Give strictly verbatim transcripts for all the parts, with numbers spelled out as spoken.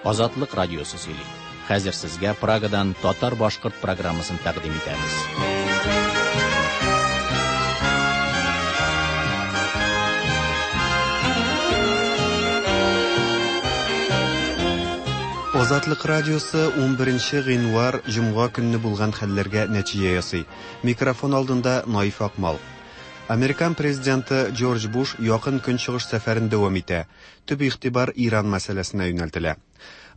Азатлык радиосы сөйли. Хәзер сезгә Прагадан татар-башкорт программасын тәкъдим итәбез. Азатлык радиосы ун беренче гыйнвар җомга көнне булган хәлләргә нәтиҗә ясый. Микрофон алдында Наиф Акмал. Американ президенты Джордж Буш якын көнчыгыш сәфәрен дәвам итә. Төп игътибар Иран мәсьәләсенә юнәлтелә.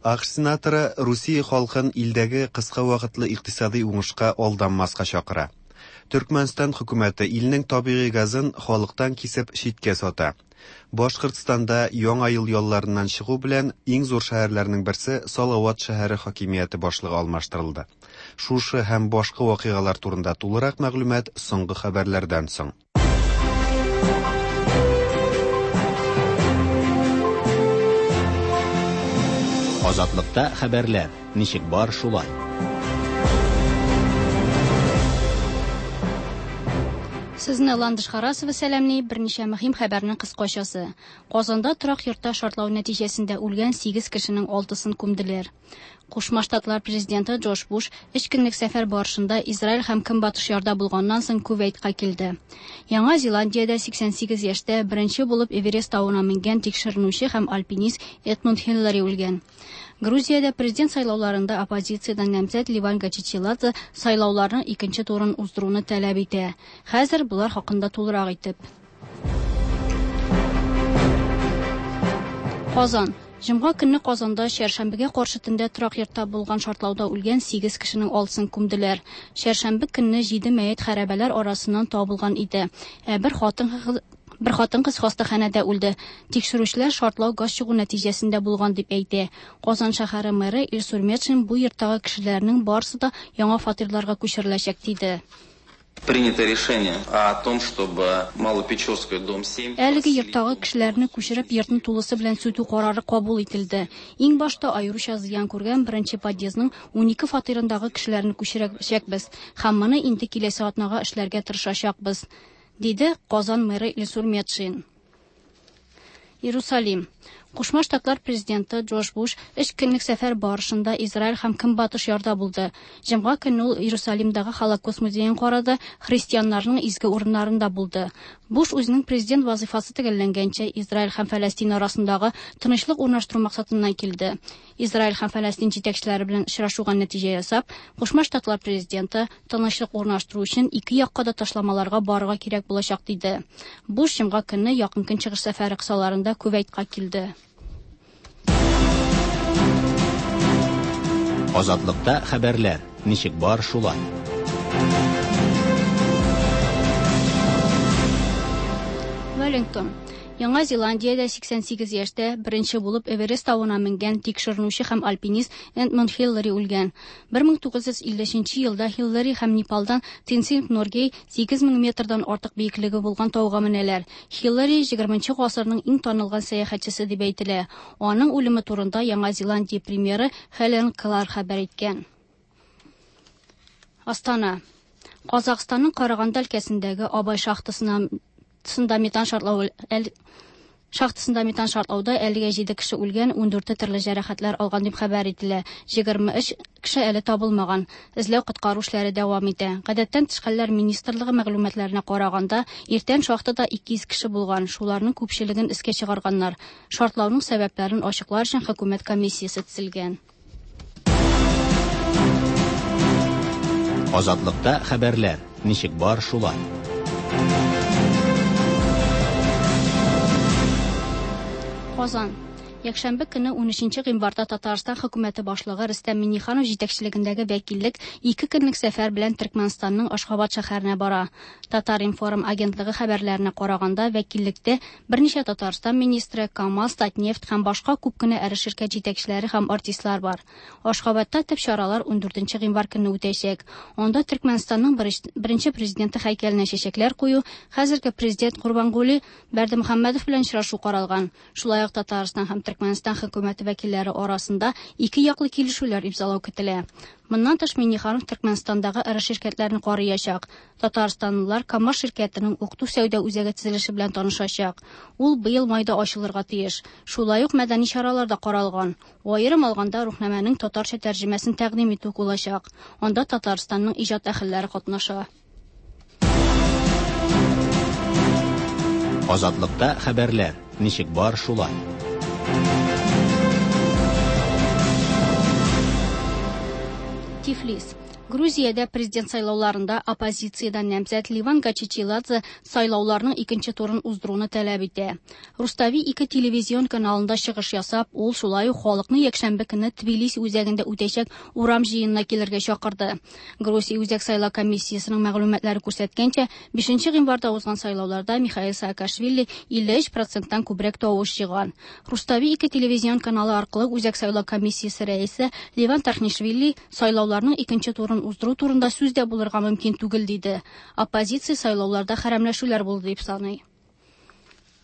АКШ сенаторы Русия халкын илдәге кыска вакытлы икътисади уңышка алданмаска чакыра. Төркмәнстан хөкүмәте илнең табигый газын халыктан кисеп читкә сата. Башкортстанда яңа ел ялларыннан чыгу белән иң зур шәһәрләрнең берсе Салават шәһәре хакимияте башлыгы алмаштырылды. Шушы һәм башка вакыйгалар турында тулырак мәгълүмат соңгы хәбәрләрдән соң. Азатлыкта хәбәрләр ничек бар шулай. Сезне Ландыш Харасова сәламли, берничә мөһим хәбәрнең кыскачасы. Казанда торак йортта шартлау нәтиҗәсендә үлгән сигез кешенең алтысын күмделәр. Кушма Штатлар президенты Джордж Буш өч көнлек сәфәр барышында Израиль һәм Көнбатыш ярда булганнан соң Кувейтка килде. Яңа Зеландиядә сиксән сигез яшьтә беренче булып Эверест тавына менгән тикшеренүче һәм альпинист Эдмунд Хиллари үлгән. Грузиядә президент сайлауларында оппозициядән намзәт Ливан Гачичиладзе сайлауларның икенче турын уздыруны таләп итә. Хәзер булар хакында тулырак итеп. Казан. Җомга көнне Казанда чәршәмбегә каршы төндә торак йортта булган шартлауда үлгән сигез кешенең алтысын күмделәр. Чәршәмбе көнне җиде мәет хәрабәләр арасыннан табылган иде. Ә бер хатын Бер хатын-кыз хастаханәдә үлде. Тикшерүчеләр шартлау газ чыгу нәтиҗәсендә булган дип әйтә. Казан шәһәре мэры Илсур Метшин бу йорттагы кешеләрнең барысы да яңа фатирларга күчереләчәк диде. Принято решение о том, чтобы Малопечорская, дом семь. Әлеге йорттагы кешеләрне күчереп, йортны тулысы белән сүтү карары кабул ителде. Иң башта аеруча зыян күргән беренче подъездның унике фатирындагы кешеләрне күчерәчәкбез һәм моны инде киләсе атнага эшләргә тырышачакбыз, диде Казан мэры Илсур Метшин. Иерусалим. Кушма Штатлар президенты Джордж Буш өч көнлек сәфәр барышында Израиль һәм Көнбатыш ярда булды. Җомга көнне ул Иерусалимдагы Холокост музеен карады, христианнарның изге урыннарында булды. Буш үзенең президент вазифасы төгәлләнгәнчә Израиль һәм Фәләстин арасындагы тынычлык урнаштыру максатыннан килде. Израиль һәм Фәләстин җитәкчеләре белән очрашуга нәтиҗә ясап, Кушма Штатлар президенты тынычлык урнаштыру өчен ике якка да ташламаларга барырга кирәк булачак диде. Буш җомга көнне якын көнчыгыш сәфәре кысаларында Кувейтка килде. Азатлыкта хәбәрләр ничек бар шулай. Wellington. Яңа Зеландиядә сиксән сигез яшьтә беренче булып Эверест тавына менгән тикшеренүче һәм альпинист Эдмунд Хиллари үлгән. бер мең тугыз йөз илле өченче елда Хиллари һәм Непалдан Тенцинг Норгей сигез мең метрдан артык биеклеге булган тауга менәләр. Хиллари егерменче гасырның иң танылган сәяхәтчесе дип әйтелә. Аның үлеме турында Яңа Зеландия премьеры Хелен Клар хәбәр иткән. Астана. Казахстанның Караганда өлкәсендәге Абай шахтасына шахтасында метан шартлау әл, шахтасында метан шартлауда әлегә җиде кеше үлгән, ундүрте төрле җәрәхәтләр алган дип хәбәр ителә. Егерме өч кеше әле табылмаган. Эзләү коткару эшләре дәвам итә. Гадәттән тыш хәлләр министрлыгы мәгълүматларына караганда, иртән шахтада ике йөз кеше булган, шуларның күпчелеген эскә чыгарганнар. Шартлауның сәбәпләрен ачыклар өчен хөкүмәт комиссиясе төзелгән. Азатлыкта хәбәрләр ничек бар шулай. Казан. Якшәмбе көне унөченче гыйнварда Татарстан хөкүмәте башлыгы Рөстәм Миңнеханов җитәкчелегендәге вәкиллек ике көнлек сәфәр белән Төркмәнстанның Ашхабад шәһәренә бара. Татар-информ агентлыгы хәбәрләренә караганда, вәкиллектә берничә Татарстан министры, КАМАЗ, Татнефть һәм башка күп кенә эре ширкәт җитәкчеләре һәм артистлар бар. Ашхабадта төп чаралар ундүртенче гыйнвар көнне үтәчәк. Анда Төркмәнстанның беренче президенты һәйкәленә чәчәкләр кую, хәзерге президент Гурбангулы Бердымөхәммәдов белән очрашу каралган. Шулай ук Татарстан һәм Төркмәнстан хөкүмәте вәкилләре арасында ике яклы килешүләр имзалау көтелә. Моннан тыш Миңнеханов Төркмәнстандагы эре ширкәтләрне карыячак. Татарстанлылар КАМАЗ ширкәтенең укыту сәүдә үзәге төзелеше белән танышачак. Ул быел майда ачылырга тиеш. Шулай ук мәдәни чаралар да каралган. Аерым алганда Рухнамәнең татарча тәрҗемәсен тәкъдим итү булачак. Анда Татарстанның иҗат әһелләре катнаша. Азатлыкта хәбәрләр ничек бар шулай. Тифлис. Грузиядә президент сайлауларында оппозициядән намзәт Ливан Гачичиладзе сайлауларның икенче турын уздыруны таләп итә. Рустави ике телевизион каналында чыгыш ясап, ул шулай ук халыкны якшәмбе көне Тбилиси үзәгендә үтәчәк урам җыенына килергә чакырды. Грузия Үзәк сайлау комиссиясенең мәгълүматлары күрсәткәнчә, бишенче гыйнварда узган сайлауларда Михаил Саакашвили илле өч проценттан күбрәк тавыш җыйган. Рустави ике телевизион каналы аркылы Үзәк сайлау комиссиясе рәисе Ливан Тархнишвили сайлауларның икенче турын уздыру турында сүз дә булырга мөмкин түгел диде. Оппозиция сайлауларда хәрәмләшүләр булды дип саный.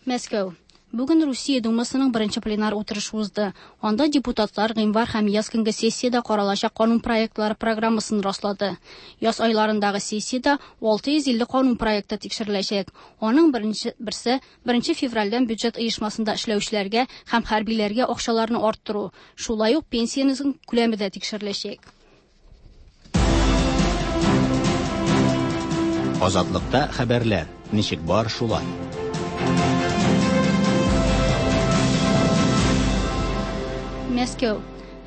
Мәскәү. Бүген Русия Думасының беренче пленар утырышы узды. Анда депутатлар гыйнвар һәм яз көнге сессиядә каралачак канун проектлары программасын раслады. Яз айларындагы сессиядә алты йөз илле канун проекты тикшереләчәк. Аның беренче берсе беренче февральдән бюджет оешмасында эшләүчеләргә һәм хәрбиләргә акчаларны арттыру, шулай ук пенсиянең күләме дә тикшереләчәк. Азатлыкта хәбәрләр ничек бар шулай. Мәскәү.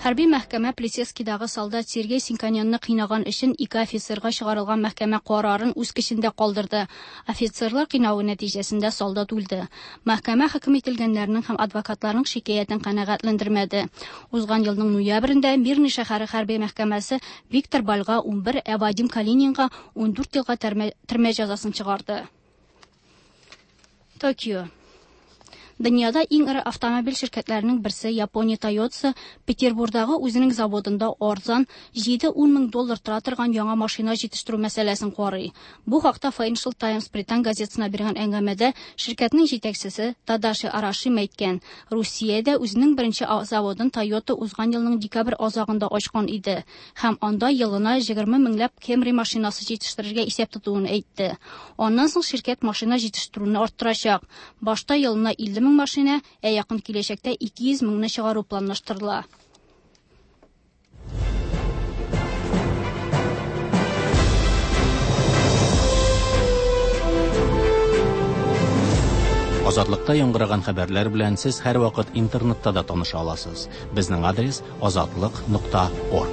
Хәрби мәхкәмә Плесецкидагы солдат Сергей Синканянны кыйнаган өчен ике офицерга чыгарылган мәхкәмә карарын үз көчендә калдырды. Офицерлар кыйнавы нәтиҗәсендә солдат үлде. Мәхкәмә хөкем ителгәннәрнең һәм адвокатларның шикаятен канәгатьләндермәде. Узган елның ноябрендә Мирный шәһәре хәрби мәхкәмәсе Виктор Бальга унбер, ә Вадим Калининга ундүрт елга төрмә җәзасын чыгарды. Токио. Дөньяда иң эре автомобиль ширкәтләренең берсе Япония Toyota Петербургдагы үзенең заводында арзан җиде-ун мең доллар тора торган яңа машина җитештерү мәсьәләсен карый. Бу хакта Financial Times британ газетасына биргән әңгәмәдә ширкәтнең җитәкчесе Тадаши Араши әйткән. Русиядә үзенең беренче заводын Toyota узган елның декабрь азагында ачкан иде һәм анда елына егерме меңләп Camry машинасы җитештерергә исәп тотуын әйтте. Аннан соң ширкәт машина җитештерүне арттырачак. Башта елына илле мең машина, ә якын киләчәктә ике йөз меңне чыгару планлаштырыла. Азатлыкта яңгыраган хәбәрләр белән сез һәрвакыт интернетта да таныша аласыз. Безнең адрес азатлык нокта орг.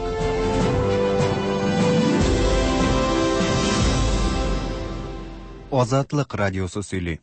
Азатлык радиосы сөйли.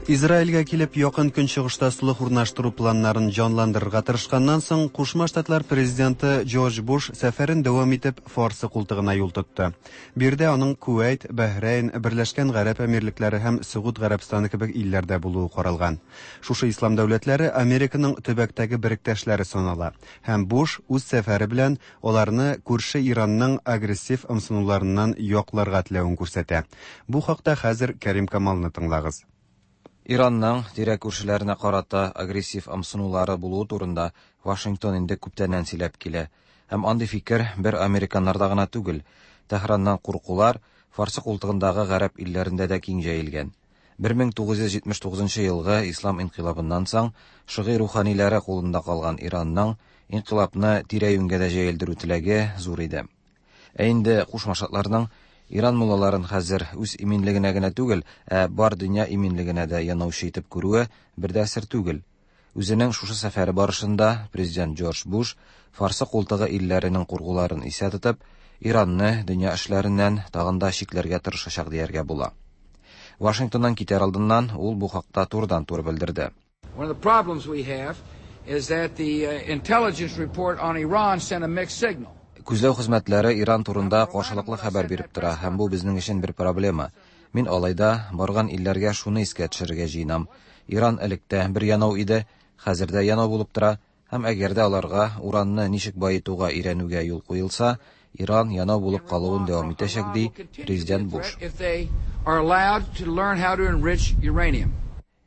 Израильгә килеп якын көнчыгышта сулых урнаштыру планнарын җанландырырга тырышканнан соң, Кушма Штатлар президенты Джордж Буш сәфәрен дәвам итеп Фарсы култыгына юл тотты. Биредә аның Кувәйт, Бәһрәйн, Берләшкән Гарәп Әмирлекләре һәм Сөгуд Гарәбстаны кебек илләрдә булуы каралган. Шушы ислам дәүләтләре Американың төбәктәге беректәшләре санала һәм Буш үз сәфәре белән аларны күрше Иранның агрессив ымсынуларыннан якларга теләвен күрсәтә. Бу хакта хәзер Кәрим Камалны тыңлагыз. Иранның тирә күршеләренә карата агрессив ымсынулары булуы турында Вашингтон инде күптәннән сөйләп килә. Һәм андый фикер бер американнарда гына түгел. Тәһраннан куркулар Фарсы култыгындагы гарәп илләрендә дә киң җәелгән. бер мең тугыз йөз җитмеш тугызынчы елгы Ислам инкыйлабыннан соң шигый руханилары кулында калган Иранның инкыйлабны тирә-юньгә дә җәелдерү теләге зур иде. Ә инде Кушма Штатларның Иран муллаларын хәзер үз иминлегенә генә түгел, ә бар дөнья иминлегенә дә янаучы итеп күрүе бер дә сер түгел. Үзенең шушы сәфәре барышында президент Джордж Буш Фарсы култыгы илләренең куркуларын исә тотып, Иранны дөнья эшләреннән тагын да чикләргә тырышачак дияргә була. Вашингтоннан китәр алдыннан ул бу хакта турыдан-туры белдерде. One of the problems we have is that the intelligence report on Iran sent a mixed signal. Күзләү хезмәтләре Иран турында каршылыклы хәбәр биреп тора, һәм бу безнең өчен бер проблема. Мин алайда барган илләргә шуны искә төшерергә җыенам. Иран электә бер янау иде, хәзер дә янау булып тора, һәм әгәр дә аларга уранны ничек баетуга өйрәнүгә юл куелса, Иран янау булып калуын дәвам итәчәк, ди президент Буш.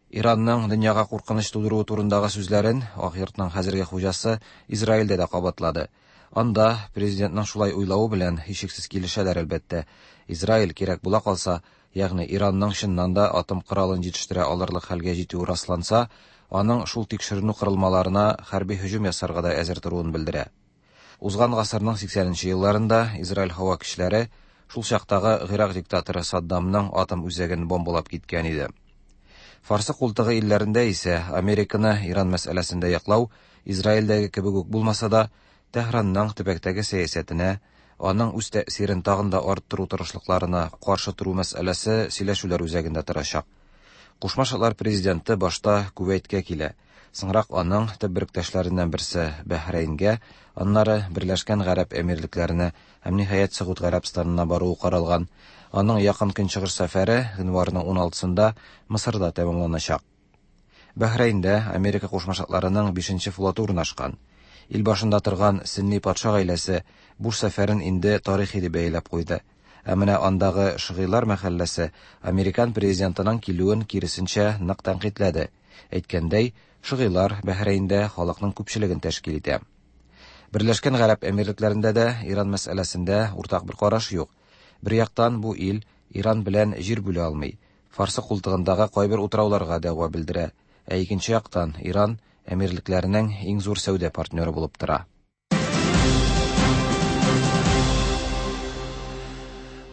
Иранның дөньяга куркыныч тудыруы турындагы сүзләрен Ак йортның хәзерге хуҗасы Израильдә дә кабатлады. Анда президентның шулай уйлавы белән һичшиксез килешәләр, әлбәттә. Израиль кирәк була калса, ягъни Иранның чыннан да атом коралын җитештерә алырлык хәлгә җитүе расланса, аның шул тикшеренү корылмаларына хәрби һөҗүм ясарга да әзер торуын белдерә. Узган гасырның сиксәненче елларында Израиль һава көчләре шул чактагы Гыйрак диктаторы Саддамның атом үзәген бомбалап киткән иде. Фарсы култыгы илләрендә исә Американы Иран мәсьәләсендә яклау Израильдәге кебек үк булмаса да, Тәһранның төбәктәге сәясәтенә, аның үз тәэсирен тагын да арттыру тырышлыкларына каршы тору мәсьәләсе сөйләшүләр үзәгендә торачак. Кушма Штатлар президенты башта Кувейткә килә, соңрак аның төп беректәшләреннән берсе Бәһрәйнгә, аннары Берләшкән Гарәп Әмирлекләренә һәм ниһаять Согуд Гарәбстанына баруы каралган. Аның якын көнчыгыш сәфәре гыйнварның уналтысында Мысырда тәмамланачак. Бәһрәйндә Америка Кушма Штатларының бишенче флоты урнашкан. Ил башында торган Сөнни патша гаиләсе Буш сәфәрен инде тарихи дип бәяләп куйды. Ә менә андагы шыгыйлар мәхәлләсе американ президентының килүен киресенчә нык тәнкыйтьләде. Әйткәндәй, шыгыйлар Бәһрәйндә халыкның күпчелеген тәшкил итә. Берләшкән Гарәп Әмирлекләрендә дә Иран мәсьәләсендә уртак бер караш юк. Бер яктан бу ил Иран белән җир бүлә алмый, Фарсы култыгындагы кайбер утрауларга дәгъва белдерә. Ә икенче яктан Иран Әмирлекләренең иң зур сәүдә партнеры булып тора.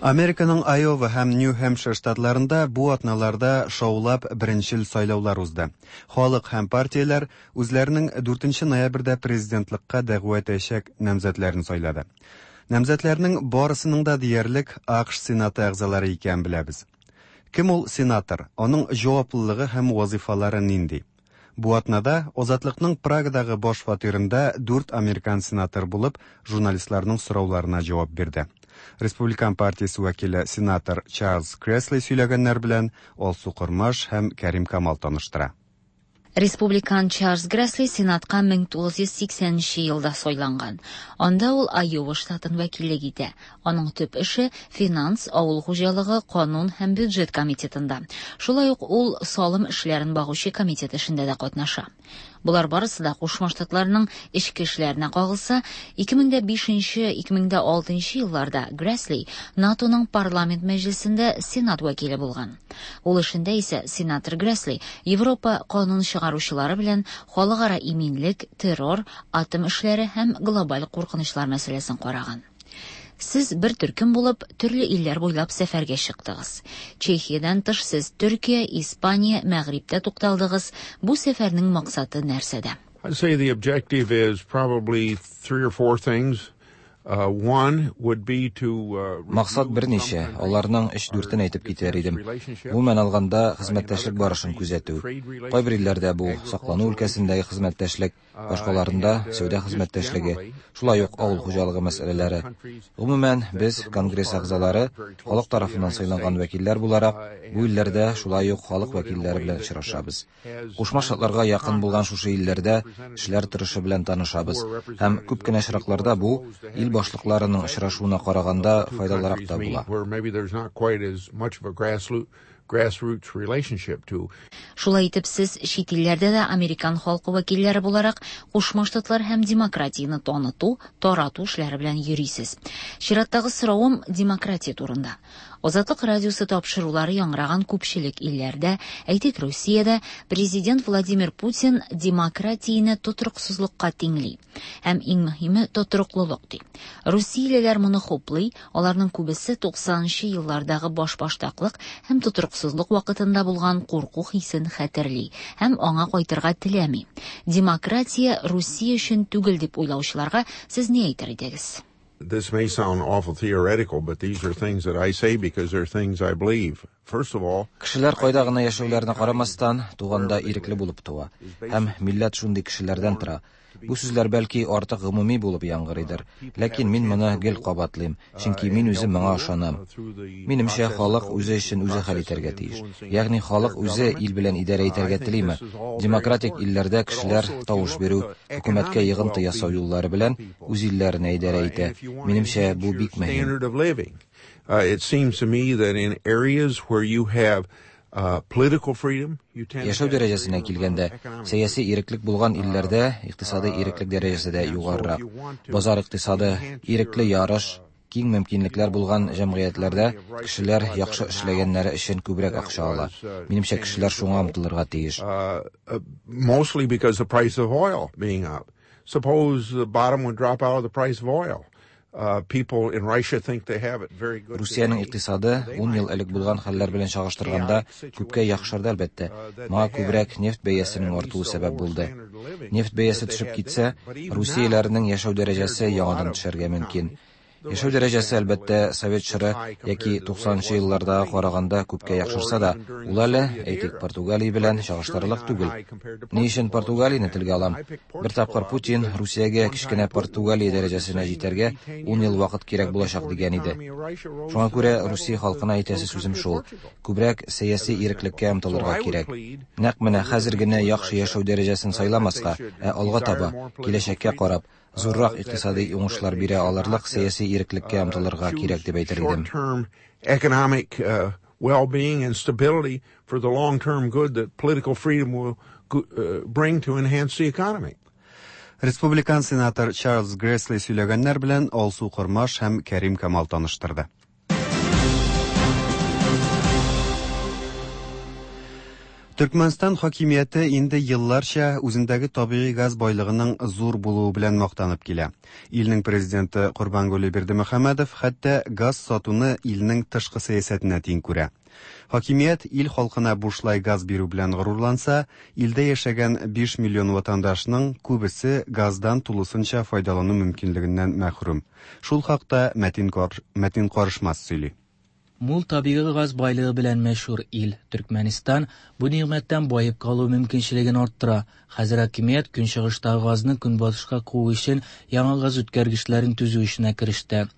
Американың Айова һәм Нью-Хэмпшир штатларында бу атналарда шаулап беренчел сайлаулар узды. Халык һәм партияләр үзләренең дүртенче ноябрьдә президентлыкка дәгъва итәчәк намзәтләрен сайлады. Намзәтләрнең барысының да диярлек АКШ Сенаты әгъзалары икәнен беләбез. Кем ул сенатор? Аның җаваплылыгы һәм вазифалары нинди? Бу атнада Азатлыкның Прагадагы баш фатирында дүрт американ сенатор булып журналистларның сорауларына җавап бирде. Республикан партиясе вәкиле сенатор Чарльз Кресли сөйләгәннәр белән Алсу Кормаш һәм Кәрим Камал таныштыра. Республикан Чарльз Гресли Сенатка мең тугыз йөз сиксәненче елда сайланган. Анда ул Айова штатын вәкиллек итә. Аның төп эше финанс, авыл хуҗалыгы, канун һәм бюджет комитетында. Шулай ук ул салым эшләрен багучы комитет эшендә дә катнаша. Булар барысы да Кушма Штатларның эчке эшләренә кагылса, ике мең дә бишенче, ике мең дә алтынчы елларда Гресли НАТОның парламент мәҗлесендә Сенат вәкиле булган. Ул эшендә исә сенатор Гресли Европа канун чыгаручылары белән халыкара иминлек, террор, атом эшләре һәм глобаль куркынычлар мәсьәләсен караган. Сез бер төркем булып төрле илләр буйлап сәфәргә чыктыгыз. Чехиядән тыш сез Төркия, Испания, Мәгърибтә тукталдыгыз. Бу сәфәрнең максаты нәрсәдә? I'd say the objective is probably three or four things. Uh, one would be to, uh, Максат берничә, аларның өч-дүртен әйтеп китәр идем. Гомумән алганда, хезмәттәшлек барышын күзәтү. Кайбер илләрдә бу саклану өлкәсендәге хезмәттәшлек, башкаларында сәүдә хезмәттәшлеге, шулай ук авыл хуҗалыгы мәсьәләләре. Гомумән, без Конгресс әгъзалары, халык тарафыннан сайланган вәкилләр буларак, бу илләрдә шулай ук халык вәкилләре белән очрашабыз. Кушма Штатларга якын булган шушы илләрдә эшләр торышы белән танышабыз. Һәм күп кенә очракларда бу ил башлыкларының очрашуына караганда файдалырак та була. Grassroots relationship to. Шулай итеп, сез чит илләрдә дә американ халкы вәкилләре буларак Кушма Штатлар һәм демократияне таныту, тарату эшләре белән йөрисез. Чираттагы соравым демократия турында. Азатлык радиосы тапшырулары яңгыраган күпчелек илләрдә, әйтик, Русиядә президент Владимир Путин демократияне тотрыксызлыкка тиңли һәм иң мөһиме тотрыклылык ди. Русиялеләр моны хуплый, аларның күбесе туксанынчы еллардагы башбаштаклык һәм тотрыксызлык вакытында булган курку хисен хәтерли һәм аңа кайтырга теләми. Демократия Русия өчен түгел дип уйлаучыларга сез ни әйтер идегез? This may sound awful theoretical, but these are things that I say because they're things I believe. First of all, Кешеләр кайда гына яшәүләренә карамастан, туганда ирекле булып туа. Һәм милләт шундый кешеләрдән тора. Бу сүзләр бәлки артык гомуми булып яңгырыйдыр, ләкин мин моны гел кабатлыйм, чөнки мин үзем моңа ышанам. Минемчә, халык үзе өчен үзе хәл итәргә тиеш. Ягъни халык үзе ил белән идарә итәргә телиме? Демократик илләрдә кешеләр тавыш бирү, хөкүмәткә йогынты ясау юллары белән үз илләренә идарә итә. Минемчә, бу бик мөһим. standard of living. Uh, it seems to me that in areas where you have uh, political freedom, you tend to Яшәү have дәрәҗәсенә greater килгәндә, economic сәяси иреклек булган илләрдә икътисади иреклек дәрәҗәсе дә югарырак. Базар икътисады, ирекле ярыш, киң мөмкинлекләр булган җәмгыятьләрдә кешеләр яхшы эшләгәннәре өчен күбрәк акча ала. Минемчә, кешеләр шуңа омтылырга тиеш. uh, uh, mostly because the price of oil being up. Suppose the bottom would drop out of the price of oil. Uh, people in Russia think they have it very good. Русиянең today. икътисады ун ел элек булган хәлләр белән чагыштырганда күпкә яхшырды, әлбәттә. Моңа күбрәк нефть бәясенең артуы сәбәп булды. Нефть бәясе төшеп китсә, русияләрнең яшәү дәрәҗәсе яңадан төшәргә мөмкин. Яшәү дәрәҗәсе, әлбәттә, совет чоры яки туксанынчы еллардагы караганда күпкә яхшырса да, ул әле, әйтик, Португалия белән чагыштырырлык түгел. Ни өчен Португалияне телгә алам? Бер тапкыр Путин Русиягә кечкенә Португалия дәрәҗәсенә җитәргә ун ел вакыт кирәк булачак дигән иде. Шуңа күрә Русия халкына әйтәсе сүзем шул: күбрәк сәяси иреклеккә омтылырга кирәк. Нәкъ менә хәзер генә яхшы яшәү дәрәҗәсен сайламаска, ә алга таба, киләчәккә карап, зуррак икътисади уңышлар бирә алырлык сәяси иреклеккә омтылырга кирәк дип әйтер идем. Short-term economic uh, well-being and stability for the long-term good that political freedom will uh, bring to enhance the economy. Республикан сенатор Чарльз Грессли сөйләгәннәр белән Алсу Кормаш һәм Кәрим Камал таныштырды. Төркмәнстан хакимияте инде елларча үзендәге табигый газ байлыгының зур булуы белән мактанып килә. Илнең президенты Корбангулы Бердымөхәммәдов хәтта газ сатуны илнең тышкы сәясәтенә тиң күрә. Хакимият ил халкына бушлай газ бирү белән горурланса, илдә яшәгән биш миллион ватандашның күбесе газдан тулысынча файдалану мөмкинлегеннән мәхрүм. Шул хакта Мәтин Кар-, Мәтин Карышмас сөйли. Мул табигый газ байлыгы белән мәшһүр ил Төркмәнстан бу нигъмәттән баеп калу мөмкинчелеген арттыра. Хәзер хакимият көнчыгыштагы газны көнбатышка куу өчен яңа газ үткәргечләрен төзү эшенә кереште.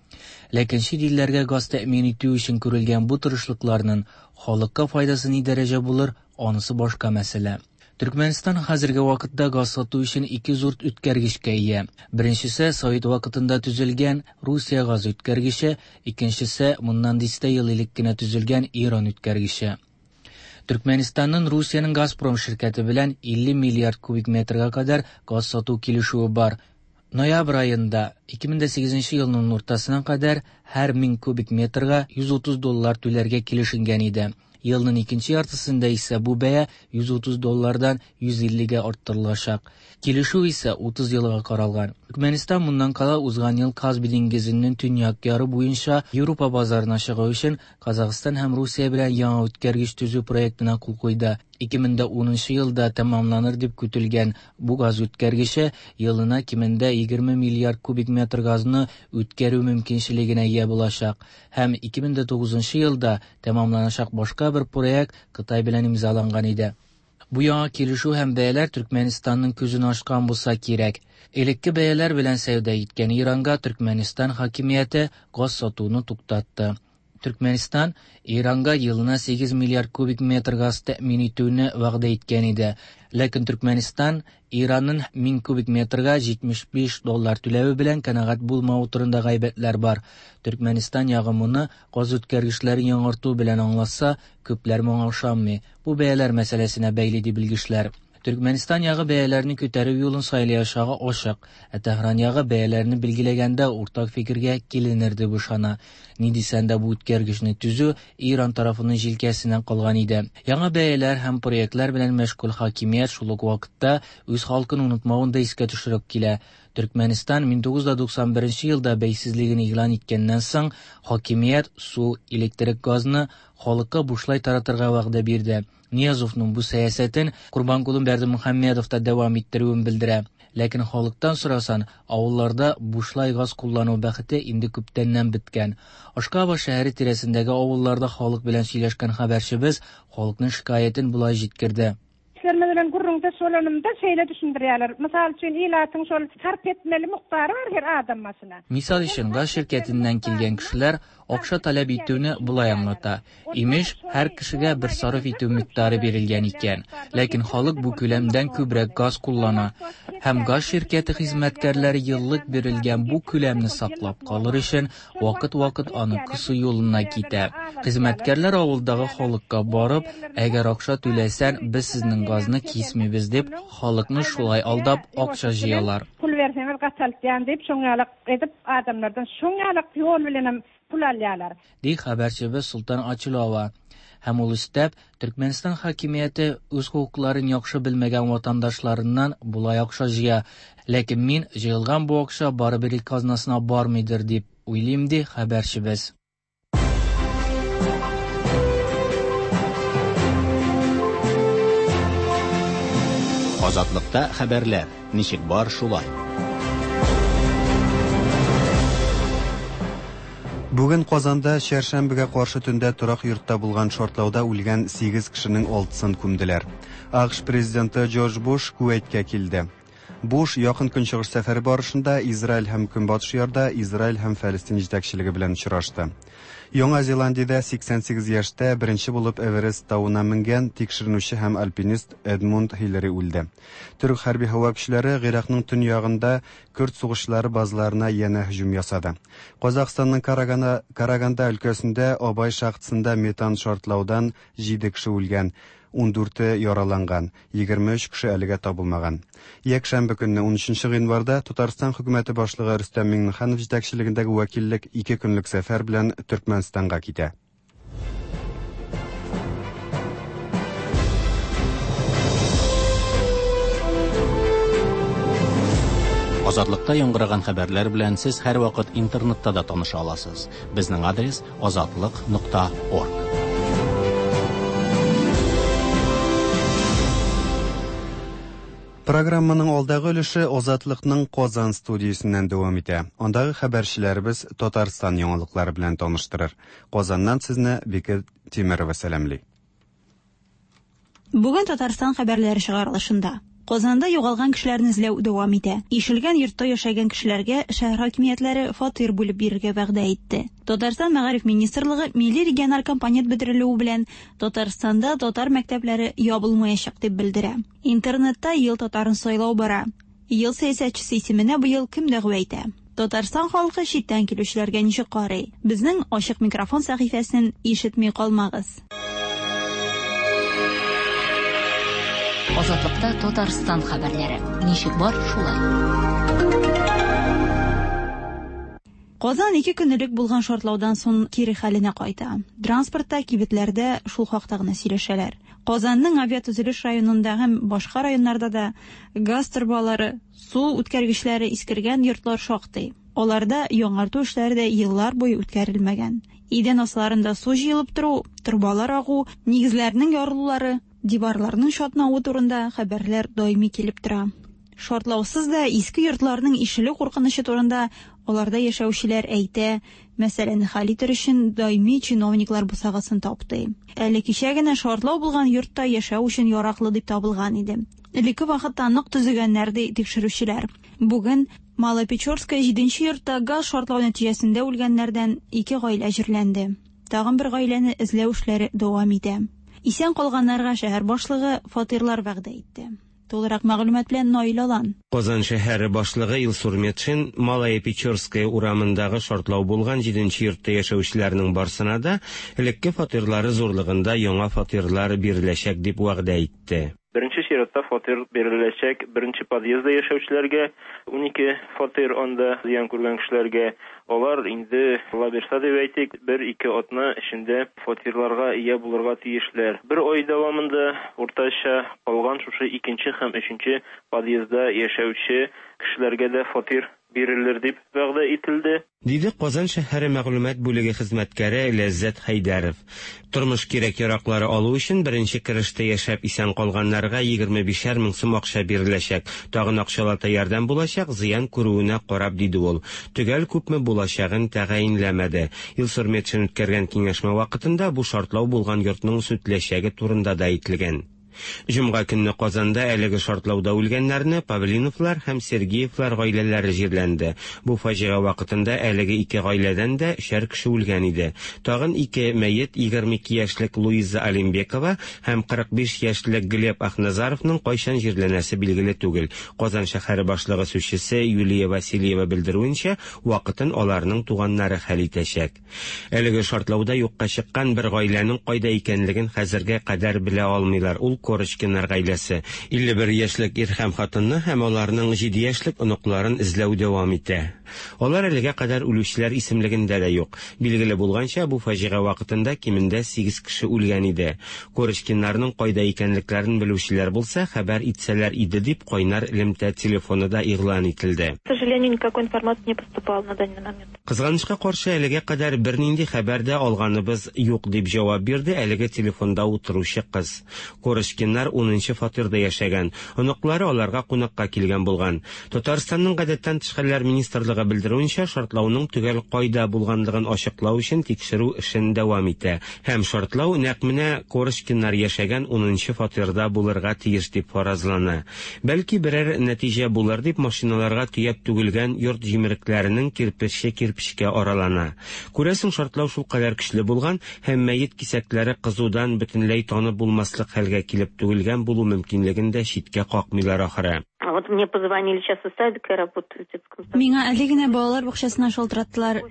Ләкин чит илләргә газ тәэмин итү өчен күрелгән бу тырышлыкларның халыкка файдасы ни дәрәҗә булыр, анысы башка мәсьәлә. Төркмәнстан хәзерге вакытта газ сату өчен ике зур үткәргечкә ия. Беренчесе Совет вакытында төзелгән Русия газ үткәргече, икенчесе моннан дистә ел элек кенә төзелгән Иран үткәргече. Төркмәнстанның Русиянең Газпром ширкәте белән илле миллиард кубик метрга кадәр газ сату килешүе бар. Ноябрь аенда ике мең дә сигезенче елның уртасына кадәр һәр мең кубик метрга йөз утыз доллар түләргә килешенгән иде. Елның икенче яртысында исә бу бәя йөз утыз доллардан йөз иллегә арттырылачак. Килешү исә утыз елга каралган. Төркмәнстан моннан кала узган ел Каспий диңгезенең төньяк яры буенча Европа базарына чыгу өчен Казахстан һәм Русия белән яңа үткәргеч төзү проектына кул куйды. Ике мең дә унынчы елда тәмамланыр дип көтелгән бу газ үткәргече елына кимендә егерме миллиард кубик метр газны үткәрү мөмкинчелегенә ия булачак. Һәм ике мең дә тугызынчы елда тәмамланачак башка бер проект Кытай белән имзаланган иде. Бу яңа килешү һәм бәяләр Төркмәнстанның күзен ачкан булса кирәк. Элекке бәяләр белән сәүдә иткән Иранга Төркмәнстан хакимияте газ сатуны туктатты. Төркмәнстан Иранга елына сигез миллиард кубик метр газ тәэмин итүне вәгъдә иткән иде. Ләкин Төркмәнстан Иранның мең кубик метрга җитмеш биш доллар түләве белән канәгать булмавы турында гайбәтләр бар. Төркмәнстан ягы моны газ үткәргечләрен яңарту белән аңлатса, күпләр моңа ышанмый. Бу бәяләр мәсьәләсенә бәйле ди белгечләр. Төркмәнстан ягы бәяләрне күтәрү юлын сайлаячагы ачык, ә Тәһран ягы бәяләрне билгеләгәндә уртак фикергә киленер дип ышана. Ни дисәң дә бу үткәргечне төзү Иран тарафының җилкәсеннән калган иде. Яңа бәяләр һәм проектлар белән мәшгуль хакимият шул ук вакытта үз халкын онытмавын да искә төшереп килә. Төркмәнстан мең тугыз йөз туксан беренче елда бәйсезлеген игълан иткәннән соң хакимият су, электрик газны халыкка бушлай таратырга вәгъдә бирде. Ниязовның бу сәясәтен Курбанкулы Бердымөхәммәдов та дәвам иттерүен белдерә. Ләкин халыктан сорасан, авылларда бушлай газ куллану бәхете инде күптәннән беткән. Ашкаба шәһәре тирәсендәге авылларда халык белән сөйләшкән хәбәрчебез халыкның шикаятен болай җиткерде. Bilen gurrunda şolanymda şeýle düşündirýärler. Mysal üçin ilatyň şol sarp etmeli mukdary bar her adam başyna. Misal өчен газ şirketinden килгән кешеләр акча таләп итүне болай аңлата. Имеш, һәр кешегә бер сарыф итү микъдары бирелгән икән. Ләкин халык бу күләмдән күбрәк газ куллана. Һәм газ ширкәте хезмәткәрләре еллык бирелгән бу күләмне саклап калыр өчен вакыт-вакыт аны кысу юлына китә. Хезмәткәрләр авылдагы халыкка барып, әгәр акча түләсәң, без сезнең газны кисмибез дип, халыкны шулай алдап акча җыялар. Pul berseňiz gataltýan diýip, şoňňalak edip adamlardan şoňňalak ýol bilen pul alýarlar. Ди хәбәрчебез Султан Ачилова. Һәм ул өстәп, Төркмәнстан хакимияте үз хокукларын яхшы белмәгән ватандашларыннан болай акча җыя. Ләкин мин җыелган бу акча барыбер ил казнасына бармыйдыр дип уйлыйм, ди хәбәрчебез. Азатлыкта хәбәрләр ничек бар шулай. Бүген Казанда чәршәмбегә каршы төндә торак йортта булган шартлауда үлгән сигез кешенең алтысын күмделәр. АКШ президенты Джордж Буш Кувейткә килде. Буш якын көнчыгыш сәфәре барышында Израиль һәм Көнбатыш ярда Израиль һәм Фәлестин җитәкчелеге белән очрашты. Яңа Зеландиядә сиксән сигез яшьтә беренче булып Эверест тавына менгән тикшеренүче һәм альпинист Эдмунд Хиллари үлде. Төрк хәрби һава көчләре Гыйракның төньягында көрд сугышчылары базаларына янә һөҗүм ясады. Казахстанның Караганда, Караганда өлкәсендә Абай шахтасында метан шартлаудан җиде кеше үлгән, ун дүрте яраланган, егерме өч кеше әлегә табылмаган. Якшәмбе көнне ун өченче гыйнварда Татарстан хөкүмәте башлыгы Рөстәм Миңнеханов җитәкчелегендәге вәкиллек ике көнлек сәфәр белән Төркмәнстанга китә. Азатлыкта яңгыраган хәбәрләр белән сез һәрвакыт интернетта да таныша аласыз. Безнең адрес азатлык нокта орг. Программаның алдагы өлеше Азатлыкның Казан студиясеннән дәвам итә. Андагы хәбәрчеләребез Татарстан яңалыклары белән таныштырыр. Казаннан сезне Бекет Тимирова сәламли. Бүген Татарстан хәбәрләре чыгарылышында Казанда югалган кешеләрне эзләү дәвам итә. Ишелгән йортта яшәгән кешеләргә шәһәр хакимиятләре фатир бүлеп бирергә вәгъдә итте. Татарстан Мәгариф министрлыгы милли региональ компонент бетерелүе белән Татарстанда татар мәктәпләре ябылмаячак дип белдерә. Интернетта ел татарын сайлау бара. Ел сәясәтчесе исеменә быел кем дәгъва итә? Татарстан халкы читтән килүчеләргә ничек карый? Безнең ачык микрофон сәхифәсен ишетми калмагыз. Азатлыкта Татарстан хәбәрләре. Ничек бар шулай. Казан ике көн элек булган шартлаудан соң кире хәленә кайта. Транспортта, кибетләрдә шул хакта гына сөйләшәләр. Казанның авиатөзелеш районында һәм башка районнарда да газ торбалары, су үткәргечләре искергән йортлар шактый. Аларда яңарту эшләре дә еллар буе үткәрелмәгән. Идән асларында су җыелып тору, торбалар агу, нигезләрнең ярылулары, диварларның чатнавы турында хәбәрләр даими килеп тора. Шартлаусыз да иске йортларның ишелү куркынычы турында аларда яшәүчеләр әйтә, мәсьәләне хәл итер өчен даими чиновниклар бусагасын тапты. Әле кичә генә шартлау булган йортта яшәү өчен яраклы дип табылган иде. Элекке вакытта нык төзегәннәр ди тикшерүчеләр. Бүген Малопечорская җиденче йортта газ шартлау нәтиҗәсендә үлгәннәрдән ике гаилә җирләнде. Тагын бер гаиләне эзләү эшләре дәвам итә. Исән калганнарга шәһәр башлыгы фатирлар вәгъдә итте. Тулырак мәгълүмат белән Наил Алан. Казан шәһәре башлыгы Илсур Метшин Малая Печорская урамындагы шартлау булган җиденче йортта яшәүчеләрнең барсына да элекке фатирлары зурлыгында яңа фатирлар биреләчәк дип вәгъдә итте. Беренче чиратта фатир биреләчәк беренче подъездда яшәүчеләргә, ун ике фатир анда зыян күргән кешеләргә. Алар инде Алла бирсә дип әйтик, бер-ике атна эчендә фатирларга ия булырга тиешләр. Бер ай дәвамында уртача калган шушы икенче һәм өченче подъездда яшәүче кешеләргә дә фатир бирелер дип вәгъдә ителде. Диде Казан шәһәре мәгълүмат бүлеге хезмәткәре Ләззәт Хәйдәров. Тормыш кирәк-яраклары алу өчен беренче керештә яшәп исән калганнарга егерме бишәр мең сум акча биреләчәк. Тагын акчалата ярдәм булачак, зыян күрүенә карап, диде ул. Төгәл күпме булачагын тәгаенләмәде. Илсур Метшин үткәргән киңәшмә вакытында бу шартлау булган йортның сүтеләчәге турында да әйтелгән. Җомга көнне Казанда әлеге шартлауда үлгәннәрне Павлиновлар һәм Сергеевлар гаиләләре җирләнде. Бу фаҗига вакытында әлеге ике гаиләдән дә өчәр кеше үлгән иде. Тагын ике мәет егерме ике яшьлек Луиза Алимбекова һәм кырык биш яшьлек Глеб Ахназаровның кайчан җирләнәсе билгеле түгел. Казан шәһәре башлыгы сүзчесе Юлия Васильева белдерүенчә, вакытын аларның туганнары хәл итәчәк. Әлеге шартлауда юкка чыккан бер гаиләнең кайда икәнлеген хәзергә кадәр белә алмыйлар. Ул Корочкиннар гаиләсе. Илле бер яшьлек ир һәм хатынны һәм аларның җиде яшьлек оныкларын эзләү дәвам итә. Алар әлегә кадәр үлүчеләр исемлегендә дә юк. Билгеле булганча, бу фаҗига вакытында кимендә сигез кеше үлгән иде. Корочкиннарның кайда икәнлекләрен белүчеләр булса, хәбәр итсәләр иде дип кайнар элемтә телефоны да игълан ителде. К сожалению, никакой информации не поступало на данный момент. Кызганычка каршы, әлегә кадәр бернинди хәбәр дә алганыбыз юк дип җавап бирде әлеге телефонда утыручы кыз. Корочкиннар унынчы фатирда яшәгән. Оныклары аларга кунакка килгән булган. Татарстанның гадәттән тыш хәлләр министрлыгы белдерүенчә, шартлауның төгәл кайда булганлыгын ачыклау өчен тикшерү эшен дәвам итә. Һәм шартлау нәкъ менә Корочкиннар яшәгән унынчы фатирда булырга тиеш дип фаразлана. Бәлки берәр нәтиҗә булыр дип машиналарга төяп түгелгән йорт җимерекләренең кирпече кирпечкә аралана. Күрәсең, шартлау шулкадәр көчле булган һәм мәет кисәкләре кызудан бөтенләй танып булмаслык хәлгә килеп түгелгән булу мөмкинлеген дә читкә какмыйлар ахыры. Вот мне позвонили сейчас из садика, я работаю в детском саду. Миңа әле генә балалар бакчасына шалтыраттылар.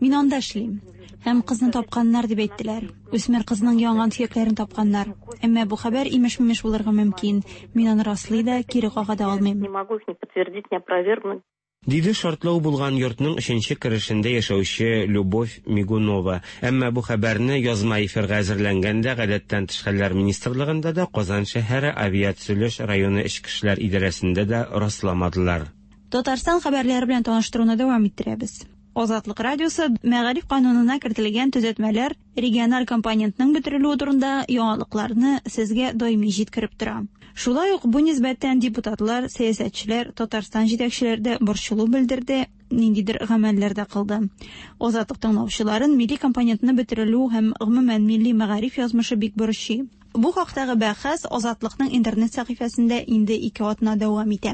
Мин анда эшлим. Һәм кызны тапканнар дип әйттеләр. Үсмер кызның янган сөякләрен тапканнар. Әмма бу хәбәр имеш-мимеш булырга мөмкин. Мин аны раслый да, кире кага да алмыйм. Не могу их не подтвердить, не опровергнуть. Диде шартлау булган йортның өченче керешендә яшәүче Любовь Мигунова. Әмма бу хәбәрне язма эфирга әзерләнгәндә гадәттән тыш хәлләр министрлыгында да, Казан шәһәре авиатөзелеш районы эчке эшләр идарәсендә дә расламадылар. Татарстан хәбәрләре белән таныштыруны дәвам иттерәбез. Азатлык радиосы мәгариф канунына кертелгән төзәтмәләр региональ компонентның бетерелүе турында яңалыкларны сезгә даими җиткереп тора. Шулай ук бу нисбәттән депутатлар, сәясәтчеләр, Татарстан җитәкчеләре дә борчылу белдерде, ниндидер гамәлләр дә кылды. Азатлык тыңлаучыларын милли компонентны бетерелү һәм гомумән милли мәгариф язмышы бик борчый. Бу хактагы бәхәс Азатлыкның интернет сәхифәсендә инде ике атна дәвам итә.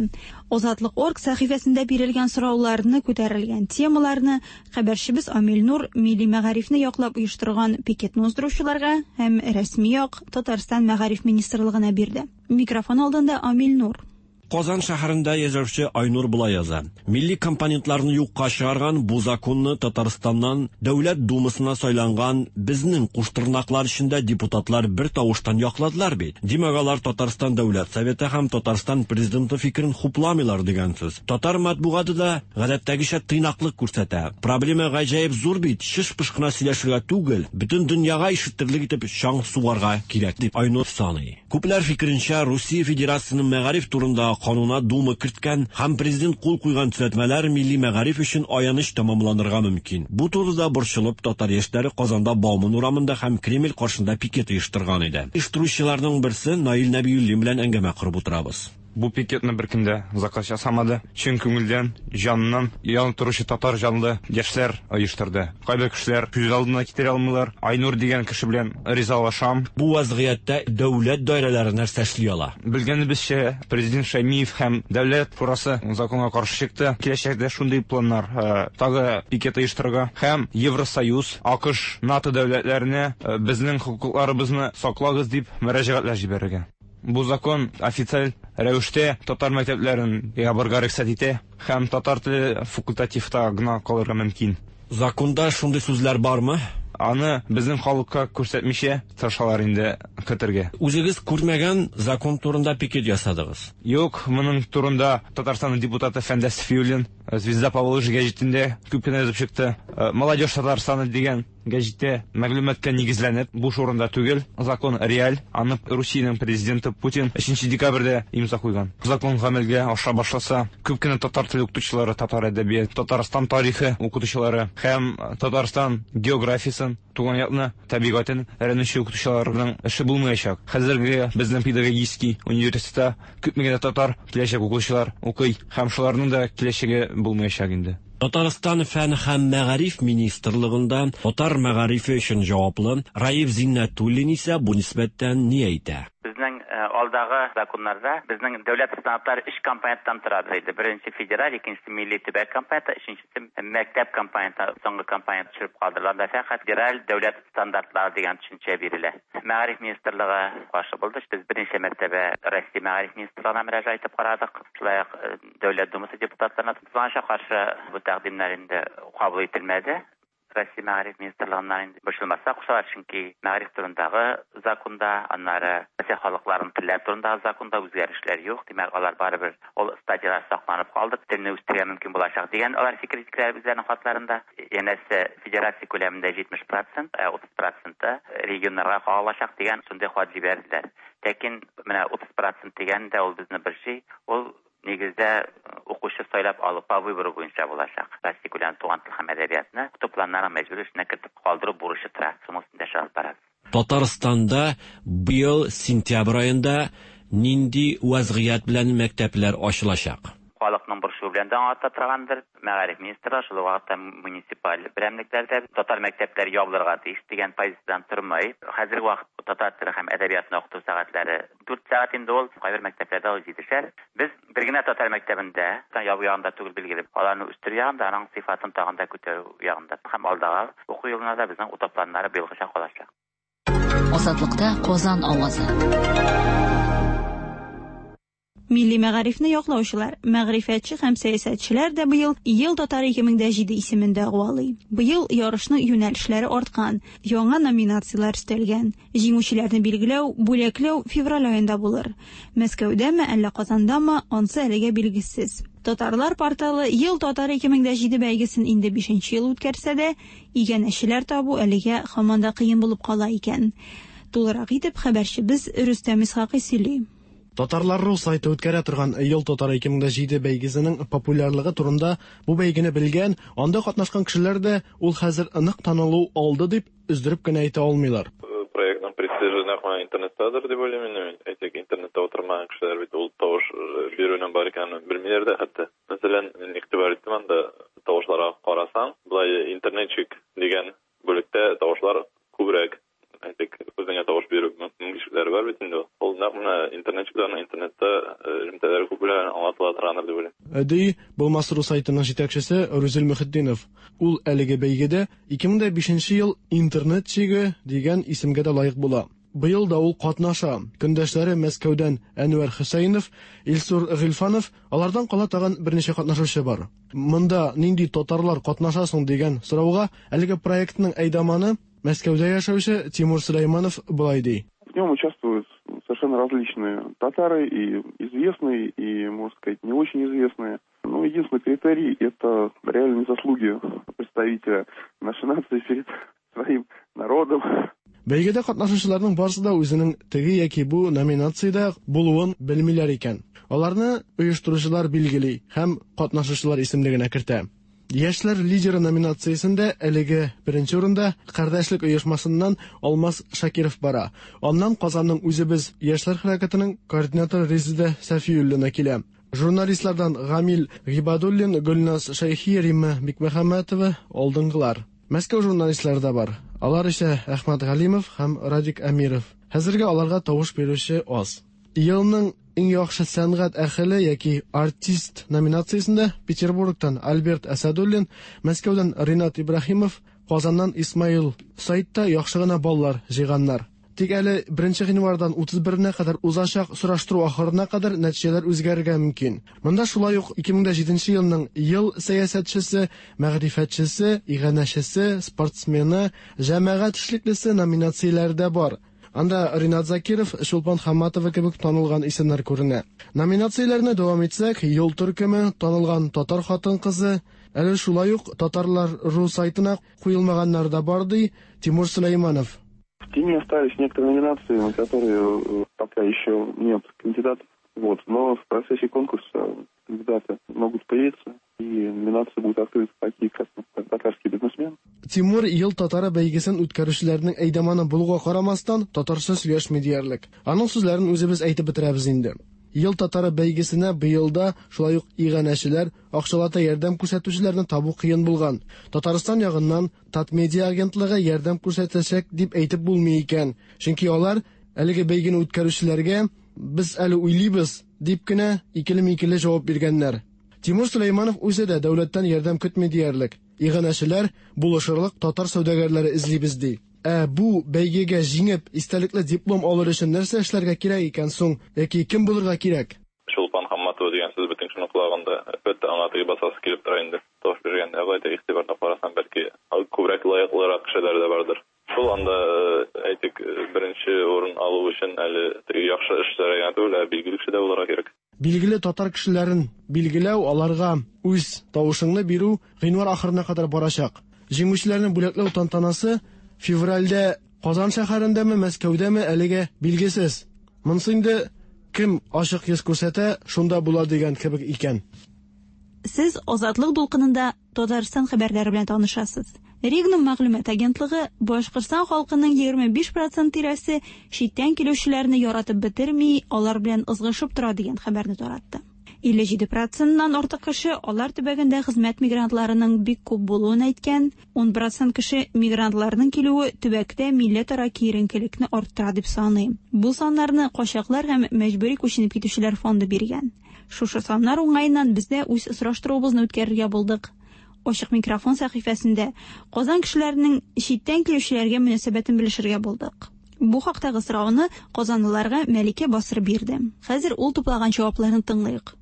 Азатлык орг сәхифәсендә бирелгән сорауларны, күтәрелгән темаларны хәбәрчебез Амил Нур милли мәгарифне яклап оештырган пикетны уздыручыларга һәм рәсми як Татарстан мәгариф министрлыгына бирде. Микрофон алдында Амил Нур. Казан шәһәрендә яшәүче Айнур болай яза. Милли компонентларны юкка чыгарган бу законны Татарстаннан Дәүләт Думасына сайланган безнең куштырнаклар эчендә депутатлар бер тавыштан якладылар бит. Димәк, алар Татарстан Дәүләт Советы һәм Татарстан президенты фикерен хупламыйлар дигән сүз. Татар матбугаты да гадәттәгечә тыйнаклык күрсәтә. Проблема гаҗәеп зур бит, шыш-пыш кына сөйләшергә түгел, бөтен дөньяга ишетерлек итеп чаң сугарга кирәк дип Айнур саный. Күпләр фикеренчә, Русия Федерациясенең мәгариф турында кануна Дума керткән һәм президент кул куйган төзәтмәләр милли мәгариф өчен аяныч тәмамланырга мөмкин. Бу турыда борчылып татар яшьләре Казанда Бауман урамында һәм Кремль каршында пикет оештырган иде. Оештыручыларның берсе Наил Нәбиуллин белән әңгәмә корып утырабыз. Бу пикетны беркем дә заказ ясамады. Чын күңелдән, җаныннан янып торучы татар җанлы яшьләр оештырды. Кайбер кешеләр күз алдына китерә алмыйлар. Айнур дигән кеше белән ризалашам. Бу вазгыятьтә дәүләт даирәләре нәрсә эшли ала? Белгәнебезчә, президент Шәймиев һәм дәүләт шурасы законга каршы чыкты. Киләчәктә шундый планнар, тагы пикет оештырырга һәм Евросоюз, АКШ, НАТО дәүләтләренә безнең хокукларыбызны саклагыз дип мөрәҗәгатьләр җибәрергә. Бу закон официаль рәвештә татар мәктәпләрен ябарга рөхсәт итә һәм татар теле факультативта гына калырга мөмкин. Законда шундый сүзләр бармы? Аны безнең халыкка күрсәтмичә тырышалар инде. кертергә. Үзегез күрмәгән закон турында пикет ясадыгыз. Юк, моның турында Татарстан депутаты Фәндәс Сафиуллин Звезда Поволжья гәҗитендә күп кенә язып чыкты. Молодежь Татарстана дигән гәҗиттә мәгълүматка нигезләнеп, буш урында түгел, закон реаль, аны Русиянең президенты Путин өченче декабрьдә имза куйган. Закон гамәлгә аша башласа, күп кенә татар теле укытучылары, татар әдәбияты, Татарстан тарихы укытучылары һәм Татарстан географиясен, туган якны, табигатен өйрәнүче укытучыларның эше булмаячак. Хәзерге безнең педагогический университетта күпме генә татар киләчәк укытучылар укый һәм шуларның да киләчәге булмаячак инде. Татарстан фән һәм мәгариф министрлыгында татар мәгарифе өчен җаваплы Раиф Зиннәтуллин исә бу нисбәттән ни әйтә? Безнең алдагы законнарда безнең дәүләт стандартлары өч компоненттан тора иде. Беренче федераль, икенчесе милли төбәк компоненты, өченчесе мәктәп компоненты, соңгы компонент төшереп калдырыла. Анда фәкать федераль дәүләт стандартлары дигән төшенчә бирелә. Мәгариф министрлыгы каршы булды. Без берничә мәртәбә Россия мәгариф министрлыгына мөрәҗәгать итеп карадык. Шулай ук Дәүләт Думасы депутатларына тузганча каршы бу тәкъдимнәр инде кабул ителмәде. Россия мәгариф министрлыгыннан инде борчылмаска кушалар, чөнки мәгариф турындагы законда, аннары Россия халыкларының телләре турындагы законда үзгәрешләр юк. Димәк, алар барыбер ул статьялар сакланып калды, телне үстерергә мөмкин булачак дигән алар фикер җиткерәләр үзләренең хатларында. Янәсе федерация күләмендә җитмеш процент, утыз проценты регионнарга кагылачак дигән шундый хат җибәрделәр. Ләкин менә утыз процент дигән дә ул безне бер ши, ул нигездә укучы сайлап алу по выбору буенча булачак. Россия күләмендә туган тел һәм әдәбиятны укыту планнарын мәҗбүри эшенә кертеп калдыру бурычы тора. Шуның өстендә эш алып барабыз. Татарстанда быел сентябрь аенда нинди вазгыять белән мәктәпләр ачылачак? Халыкның борчуы белән дә аңлата торгандыр. Мәгариф министры шул вакытта муниципаль берәмлекләрдә татар мәктәпләре ябылырга тиеш дигән позициядән тормый. Хәзерге вакытта татар теле һәм әдәбиятны укыту сәгатьләре дүрт сәгать инде ул, кайбер мәктәпләрдә ул җитешәр. Без бер генә татар мәктәбендә ябу ягында түгел, билгеле, аларны үстерү ягында, аның сыйфатын тагын да күтәрү ягында һәм алдагы уку елына да безнең укыту планнары быелгыча калачак. Азатлыкта Казан авазы. Милли мәгарифне яклаучылар, мәгърифәтче һәм сәясәтчеләр дә быел Ел татары ике мең дә җиде исемен дәгъвалый. Быел ярышның юнәлешләре арткан, яңа номинацияләр өстәлгән. Җиңүчеләрне билгеләү, бүләкләү февраль аенда булыр. Мәскәүдәме, әллә Казандамы, ансы әлегә билгесез. Татарлар порталы Ел татары ике мең дә җиде бәйгесен инде бишенче ел үткәрсә дә, иганәчеләр табу әлегә һаман да кыен булып кала икән. Тулырак итеп хәбәрчебез Рөстәм Исхакый сөйли. Татарлар рус сайты үткәрә торган Ел татары ике мең дә җиде бәйгесенең популярлыгы турында бу бәйгене белгән, анда катнашкан кешеләр дә ул хәзер нык танылу алды дип өздереп кенә әйтә алмыйлар. Проектның престижы нәкъ менә интернеттадыр дип уйлыйм инде мин. Әйтик, интернетта утырмаган кешеләр бит ул тавыш бирүнең бар икәнен белмиләр дә хәтта. Мәсәлән, мин игътибар иттем анда тавышларга карасаң, болай интернетчик дигән бүлектә тавышлар күбрәк. Әйтик, үзеңә тавыш бирү мөмкинлекләре бар бит инде. Ул нәкъ менә интернетчикларның интернетта элемтәләре күп белән аңлатыла торгандыр дип уйлыйм. Ди Булмас рус сайтының җитәкчесе Рүзил Мөхетдинов. Ул әлеге бәйгедә ике мең дә бишенче ел интернетчигы дигән исемгә дә лаек була. Быел да ул катнаша. Көндәшләре Мәскәүдән Әнвәр Хөсәйнов, Илсур Гыйльфанов, алардан кала тагын берничә катнашучы бар. Монда нинди татарлар катнаша соң дигән сорауга әлеге проектның әйдаманы Мәскәүдә яшәүче Тимур Сөләйманов болай ди. В нем участвуют совершенно различные татары, и известные, и, можно сказать, не очень известные. Но единственный критерий – это реальные заслуги представителя нашей нации перед своим народом. Бәйгедә катнашучыларның барысы да үзенең теге яки бу номинациядә булуын белмиләр икән. Аларны оештыручылар билгели һәм катнашучылар исемлегенә кертә. Яшьләр лидеры номинациясендә әлеге беренче урында Кардәшлек оешмасыннан Алмаз Шакиров бара. Аннан Казанның Үзебез яшьләр хәрәкәтенең координаторы Резеда Сафиуллина килә. Журналистлардан Гамил Гибадуллин, Гөлназ Шәйхи, Римма Бикмөхәммәтова алдынгылар. Мәскәү журналистлары да бар. Алар исә Әхмәт Галимов һәм Радик Әмиров. Хәзергә аларга тавыш бирүче аз. Елның иң яхшы сәнгать әһеле яки артист номинациясендә Петербургтан Альберт Әсәдуллин, Мәскәүдән Ринат Ибраһимов, Казаннан Исмаил сайтта яхшы гына баллар җыйганнар. Тик әле беренче гыйнвардан утыз беренә кадәр узачак сораштыру ахырына кадәр нәтиҗәләр үзгәрергә мөмкин. Монда шулай ук ике мең дә җиденче елның ел сәясәтчесе, мәгърифәтчесе, иганәчесе, спортсмены, җәмәгать эшлеклесе номинацияләре дә бар. Анда Ринат Закиров, Чулпан Хаматова кебек танылган исемнәр күренә. Номинацияләрне дәвам итсәк, Юл төркеме, танылган татар хатын-кызы, әле шулай ук Татарлар ру сайтына куелмаганнар да бар, ди Тимур Сулейманов. В тени остались некоторые номинации, на которые пока еще нет кандидатов. Вот. Но в процессе конкурса кандидаты могут появиться, и номинации будут открыты такие, как «Татарский бизнесмен». Тимур Ел татары бәйгесен үткәрүчеләрнең әйдаманы булуга карамастан, татарча сөйләшми диярлек. Аның сүзләрен үзебез әйтеп бетерәбез инде. Ел татары бәйгесенә быел да шулай ук иганәчеләр, акчалата ярдәм күрсәтүчеләрне табу кыен булган. Татарстан ягыннан Татмедиа агентлыгы ярдәм күрсәтәчәк дип әйтеп булмый икән. Чөнки алар әлеге бәйгене үткәрүчеләргә без әле уйлыйбыз дип кенә икеле-микеле җавап биргәннәр. Тимур Сулейманов үзе дә дәүләттән ярдәм көтми диярлек. Иганәчеләр булышырлык татар сәүдәгәрләре эзлибез ди. Ә бу бәйгегә җиңеп, истәлекле диплом алыр өчен нәрсә эшләргә кирәк икән соң, яки кем булырга кирәк? Чулпан Хаматова дигән сүз бөтен кешенең колагында. Әлбәттә, аңа теге басасы килеп тора инде. Тавыш биргәндә, алай да игътибарына карасаң, бәлки күбрәк лаеклырак кешеләр дә бардыр. Шул анда, әйтик, беренче урын алу өчен әле теге яхшы эшләр генә түгел, ә билгеле кеше дә булырга кирәк. Билгеле татар кешеләрен билгеләү, аларга үз тавышыңны бирү гыйнвар ахырына кадәр барачак. Җиңүчеләрне бүләкләү тантанасы февральдә Казан шәһәрендәме, Мәскәүдәме әлегә билгесез. Монысы инде кем ачык йөз күрсәтә, шунда була дигән кебек икән. Сез Азатлык дулкынында Татарстан хәбәрләре белән танышасыз. Регнум мәгълүмат агентлыгы Башкортстан халкының егерме биш процент тирәсе читтән килүчеләрне яратып бетерми, алар белән ызгышып тора дигән хәбәрне таратты. илле җиде проценттан артык кеше алар төбәгендә хезмәт мигрантларының бик күп булуын әйткән, ун процент кеше мигрантларның килүе төбәктә милләтара киеренкелекне арттыра дип саный. Бу саннарны качаклар һәм мәҗбүри күченеп китүчеләр фонды биргән. Шушы саннар уңаеннан без дә үз сораштыруыбызны үткәрергә булдык. Ачык микрофон сәхифәсендә Казан кешеләренең читтән килүчеләргә мөнәсәбәтен белешергә булдык. Бу хактагы сорауны казанлыларга Мәликә басыр бирде. Хәзер ул туплаган җавапларны тыңлыйк.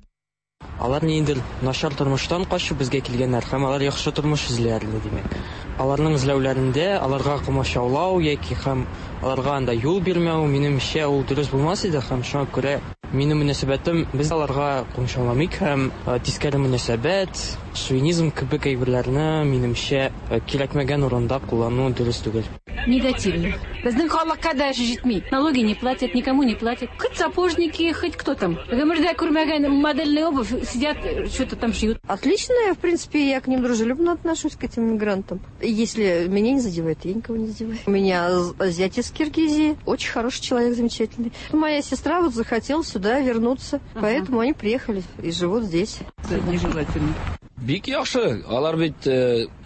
Алар ниндидер начар тормыштан качып безгә килгәннәр һәм алар яхшы тормыш эзлиләр, димәк. Аларның эзләүләрендә аларга комачаулау яки һәм аларга анда юл бирмәү, минемчә, ул дөрес булмас иде һәм шуңа күрә минем мөнәсәбәтем без аларга комачауламыйк һәм тискәре мөнәсәбәт, шовинизм кебек әйберләрне минемчә кирәкмәгән урында куллану дөрес түгел. Негативно. Безнең халыкка даже җитми. Налоги не платят, никому не платят. Хоть сапожники, хоть кто там. Гомердә күрмәгән модельный обувь сидят, что-то там шьют. Отлично, я, в принципе, я к ним дружелюбно отношусь, к этим мигрантам. Если меня не задевает, я никого не задеваю. У меня зять из Киргизии, очень хороший человек, замечательный. Моя сестра вот захотела сюда вернуться, ага. Поэтому они приехали и живут здесь. Нежелательно. Бик яхшы, алар бит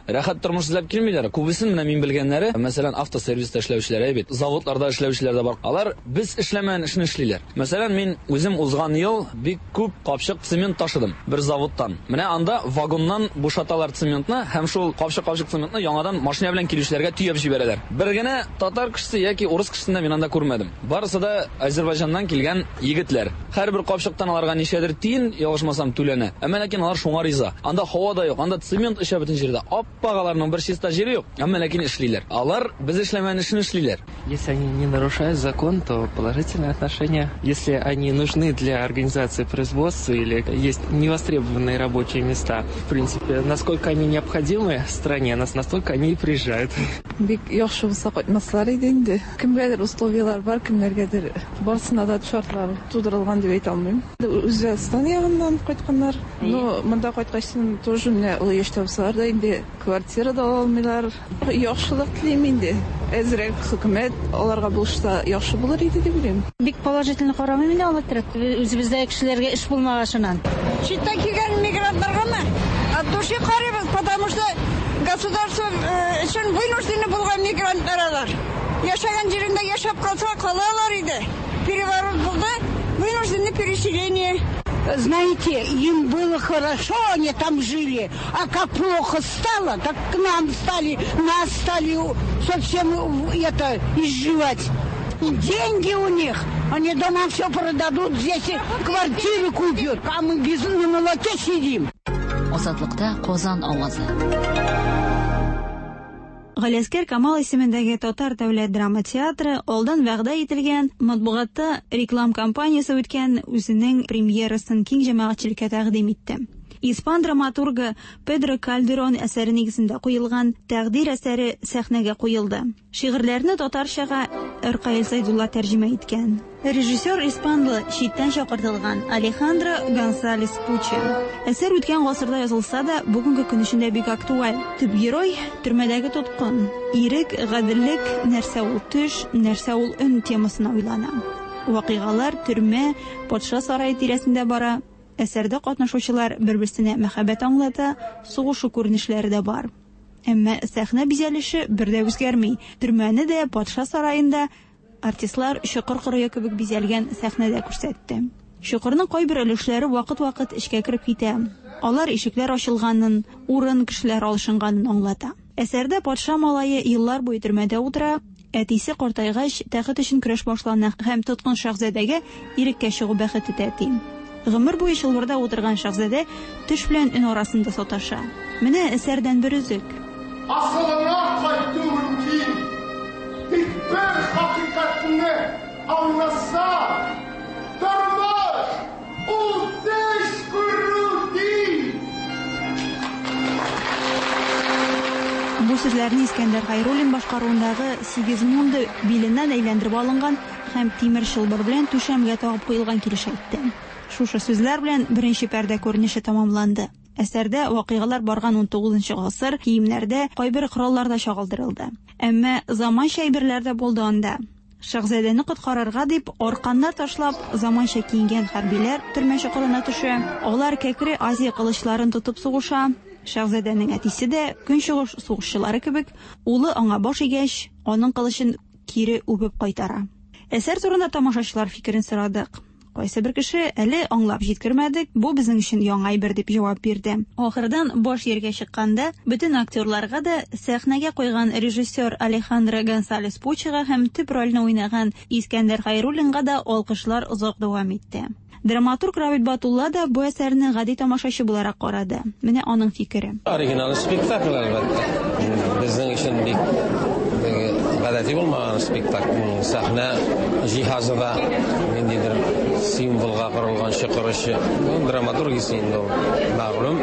рәхәт тормыш эзләп килмиләр. Күбесен менә мин белгәннәре, мәсәлән, автосервиста эшләүчеләр бит, заводларда эшләүчеләр дә бар. Алар без эшләмәгән эшне эшлиләр. Мәсәлән, мин үзем узган ел бик күп капчык цемент ташыдым бер заводтан. Менә анда вагоннан бушаталар цементны һәм шул капчык-капчык цементны яңадан машина белән килүчеләргә төяп җибәрәләр. Бер генә татар кешесе яки урыс кешесен дә мин анда күрмәдем. Барысы да Азербайҗаннан килгән егетләр. Һәрбер капчыктан аларга ничәдер тиен, ялгышмасам, түләнә. Әмма ләкин алар шуңа риза. Анда һава да юк, анда цемент эчә бөтен җирдә. Аппагаларның бер чиста җире юк, әмма ләкин эшлиләр. Алар без эшләмәгән эшне эшлиләр. Если они не нарушают закон, то положительное отношение. Если они нужны для организации производства или есть невостребованные рабочие места, в принципе, насколько они необходимы стране, настолько они и приезжают. Бик яхшы булса кайтмаслар иде инде. Кемгәдер условиялар бар, кемнәргәдер барысына да шартлар тудырылган дип әйтә алмыйм. Үзбәкстан ягыннан кайтканнар. Но монда кайткачтан тоже менә олы яшьтә булсалар да инде квартира да ала алмыйлар. Яхшылык телим инде. Әзрәк хөкүмәт аларга булышса яхшы булыр иде дип уйлыйм. Бик положительно карамыйм инде алар терәк. Үзебездә кешеләргә эш булмагашынан. Читтән килгән мигрантларгамы? От души карыйбыз, потому что государство өчен вынуждены булган мигрантлар алар. Яшәгән җирендә яшәп калса калалар иде. Переворот булды, вынуждены переселение. Знаете, им было хорошо, они там жили, а как плохо стало, так к нам стали, нас стали совсем это изживать. Деньги у них, они дома все продадут, здесь квартиры купят, а мы без на молоке сидим. Азатлыкта Казан авазы. Галиәсгар Камал исемендәге Татар дәүләт драма театры алдан вәгъдә ителгән матбугатта реклам кампаниясе үткән үзенең премьерасын киң җәмәгатьчелеккә тәкъдим итте. Испан драматургы Педро Кальдерон әсәре нигезендә куелган Тәкъдир әсәре сәхнәгә куелды. Шигырьләрне татарчага Ркаил Зәйдулла тәрҗемә иткән. Режиссер испанлы, читтән чакыртылган Алехандро Гонсалес Пуче. Әсәр үткән гасырда язылса да, бүгенге көн өчен дә бик актуаль. Төп герой төрмәдәге тоткын. Ирек, гаделлек, нәрсә ул төш, нәрсә ул өн темасына уйлана. Вакыйгалар төрмә, патша сарае тирәсендә бара. Әсәрдә катнашучылар бер-берсенә мәхәббәт аңлата, сугышу күренешләре дә бар. Әмма сәхнә бизәлеше бер дә үзгәрми. Төрмәне дә, патша сараенда артистлар чокыр кырые кебек бизәлгән сәхнәдә күрсәтте. Чокырның кайбер өлешләре вакыт-вакыт эчкә кереп китә. Алар ишекләр ачылганын, урын кешеләр алышынганын аңлата. Әсәрдә патша малае еллар буе төрмәдә утыра, әтисе картайгач тәхет өчен көрәш башлана һәм тоткын шәһзадәгә иреккә чыгу бәхете тәти. Гомер буе чылбырда утырган шәһзадә төш белән өн арасында саташа. Менә әсәрдән бер өзек. Асылына кайту мөмкин. Тик бер хакыйкатьне аңласа, тормыш ул төш күрү ди. Бу сүзләрне Искәндәр Хәйруллин башкаруындагы Сигизмунда биленнән әйләндереп алынган һәм тимер чылбыр белән түшәмгә тагып куелган килеш әйтте. Шушы сүзләр белән беренче пәрдә күренеше тамамланды. Әсәрдә вакыйгалар барган ун тугызынчы гасыр киемнәрдә, кайбер коралларда чагылдырылды. Әмма заманча әйберләр дә булды анда. Шәһзадәне коткарырга дип арканнар ташлап, заманча киенгән хәрбиләр төрмә чокырына төшә. Алар кәкре Азия кылычларын тотып сугыша. Шәһзадәнең әтисе дә көнчыгыш сугышчылары кебек, улы аңа баш игәч, аның кылычын кире үбеп кайтара. Әсәр турында тамашачылар фикерен сорадык. Кайсы бер кеше әле аңлап җиткермәдек, бу безнең өчен яңа әйбер дип җавап бирде. Ахырдан баш җиргә чыкканда бөтен актерларга да сәхнәгә куйган режиссер Алехандро Гонсалес Пучега һәм төп рольне уйнаган Искәндәр Хәйруллинга да алкышлар озак дәвам итте. Драматург Равил Батулла да бу әсәрне гади тамашачы буларак карады. Менә аның фикере. Оригинал спектакль әлбәттә. Безнең өчен бик гадәти булмаган спектакль. Сәхнә җиһазы да ниндидер символга корылган чокыр эше. Драматургиясе инде ул мәгълүм.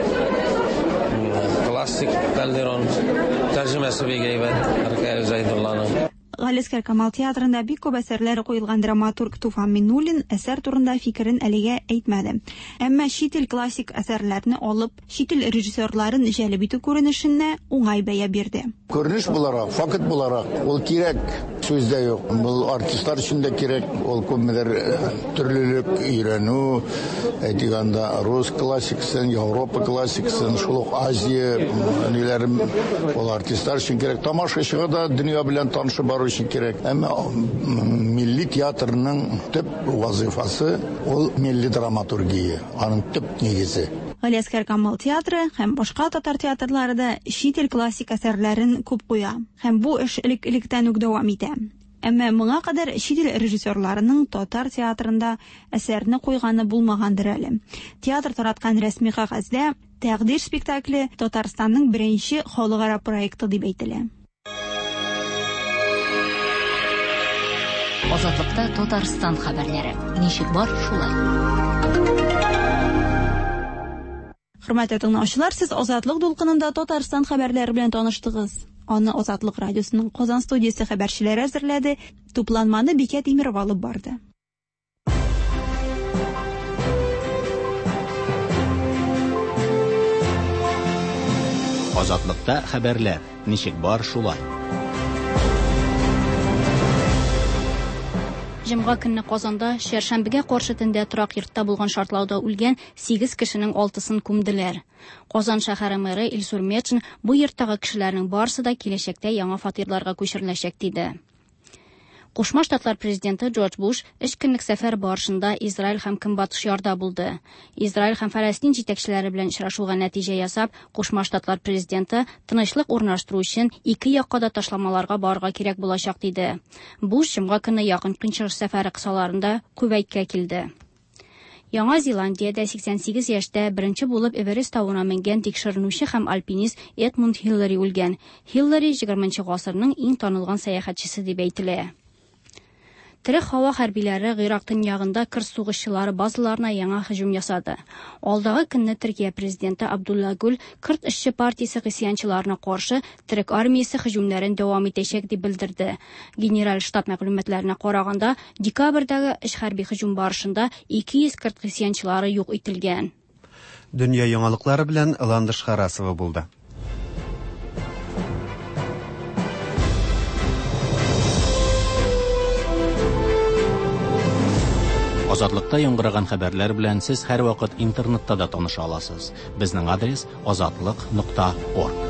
Классик Кальдерон тәрҗемәсе бик әйбәт Ркаил Зәйдулланың. Галиәсгар Камал театрында бик күп әсәрләре куелган драматург Туфан Миннуллин әсәр турында фикерен әлегә әйтмәде. Әмма чит ил классик әсәрләрне алып, чит ил режиссерларын җәлеп итү күренешенә уңай бәя бирде. Күренеш буларак, факт буларак, ул кирәк, сүз дә юк. Бу артистлар өчен дә кирәк, ул күпмедер төрлелек өйрәнү, әйтик анда рус классикасын, Европа классикасын, шул ук Азия ниләрен, ул артистлар өчен кирәк. Тамашачыга да дөнья белән танышып бару өчен кирәк. Әмма милли театрның төп вазифасы ул милли драматургия, аның төп нигезе. Галиәсгар Камал театры һәм башка татар театрлары да чит ил классик әсәрләрен күп куя. Һәм бу эш элек-электән үк дәвам итә. Әмма моңа кадәр чит ил режиссерларының татар театрында әсәрне куйганы булмагандыр әле. Театр тараткан рәсми кәгазьдә Тәкъдир спектакле Татарстанның беренче халыкара проекты дип әйтелә. Азатлыкта Татарстан хәбәрләре. Ничек бар, шулай. Хөрмәтле тыңлаучылар, сез Азатлык дулкынында Татарстан хәбәрләре белән таныштыгыз. Аны Азатлык радиосының Казан студиясе хәбәрчеләре әзерләде. Тупланманы Бикә Тимирова алып барды. Азатлыкта хәбәрләр. Ничек бар, шулай. Җомга көнне Казанда чәршәмбегә каршы төндә торак йортта булган шартлауда үлгән сигез кешенең алтысын күмделәр. Казан шәһәре мэры Илсур Метшин бу йорттагы кешеләрнең барысы да киләчәктә яңа фатирларга күчереләчәк диде. Кушма Штатлар президенты Джордж Буш өч көнлек сәфәр барышында Израиль һәм Көнбатыш ярда булды. Израиль һәм Фәләстин җитәкчеләре белән очрашуга нәтиҗә ясап, Кушма Штатлар президенты тынычлык урнаштыру өчен ике якка да ташламаларга барырга кирәк булачак диде. Буш җомга көнне Якын Көнчыгыш сәфәре кысаларында Кувәйткә килде. Яңа Зеландиядә сиксән сигез яшьтә беренче булып Эверест тавына менгән тикшеренүче һәм альпинист Эдмунд Хиллари үлгән. Хиллари егерменче гасырның иң танылган сәяхәтчесе дип әйтелә. Терек һава хәрбиләре Гыйрак төньягында кыр сугышчылары базаларына яңа һөҗүм ясады. Алдагы көнне Төркия президенты Абдулла Гүл Кырт эшче партиясе гыйсьянчыларына каршы Терек армиясе һөҗүмнәрен дәвам итәчәк дип белдерде. Генераль штаб мәгълүматларына караганда, декабрьдәге эш хәрби һөҗүм барышында ике йөз кырт гыйсьянчылары юк ителгән. Дөнья яңалыклары белән Ландыш Харасова булды. Азатлыкта яңгыраган хәбәрләр белән сез һәрвакыт интернетта да таныша аласыз. Безнең адрес азатлык нокта орг.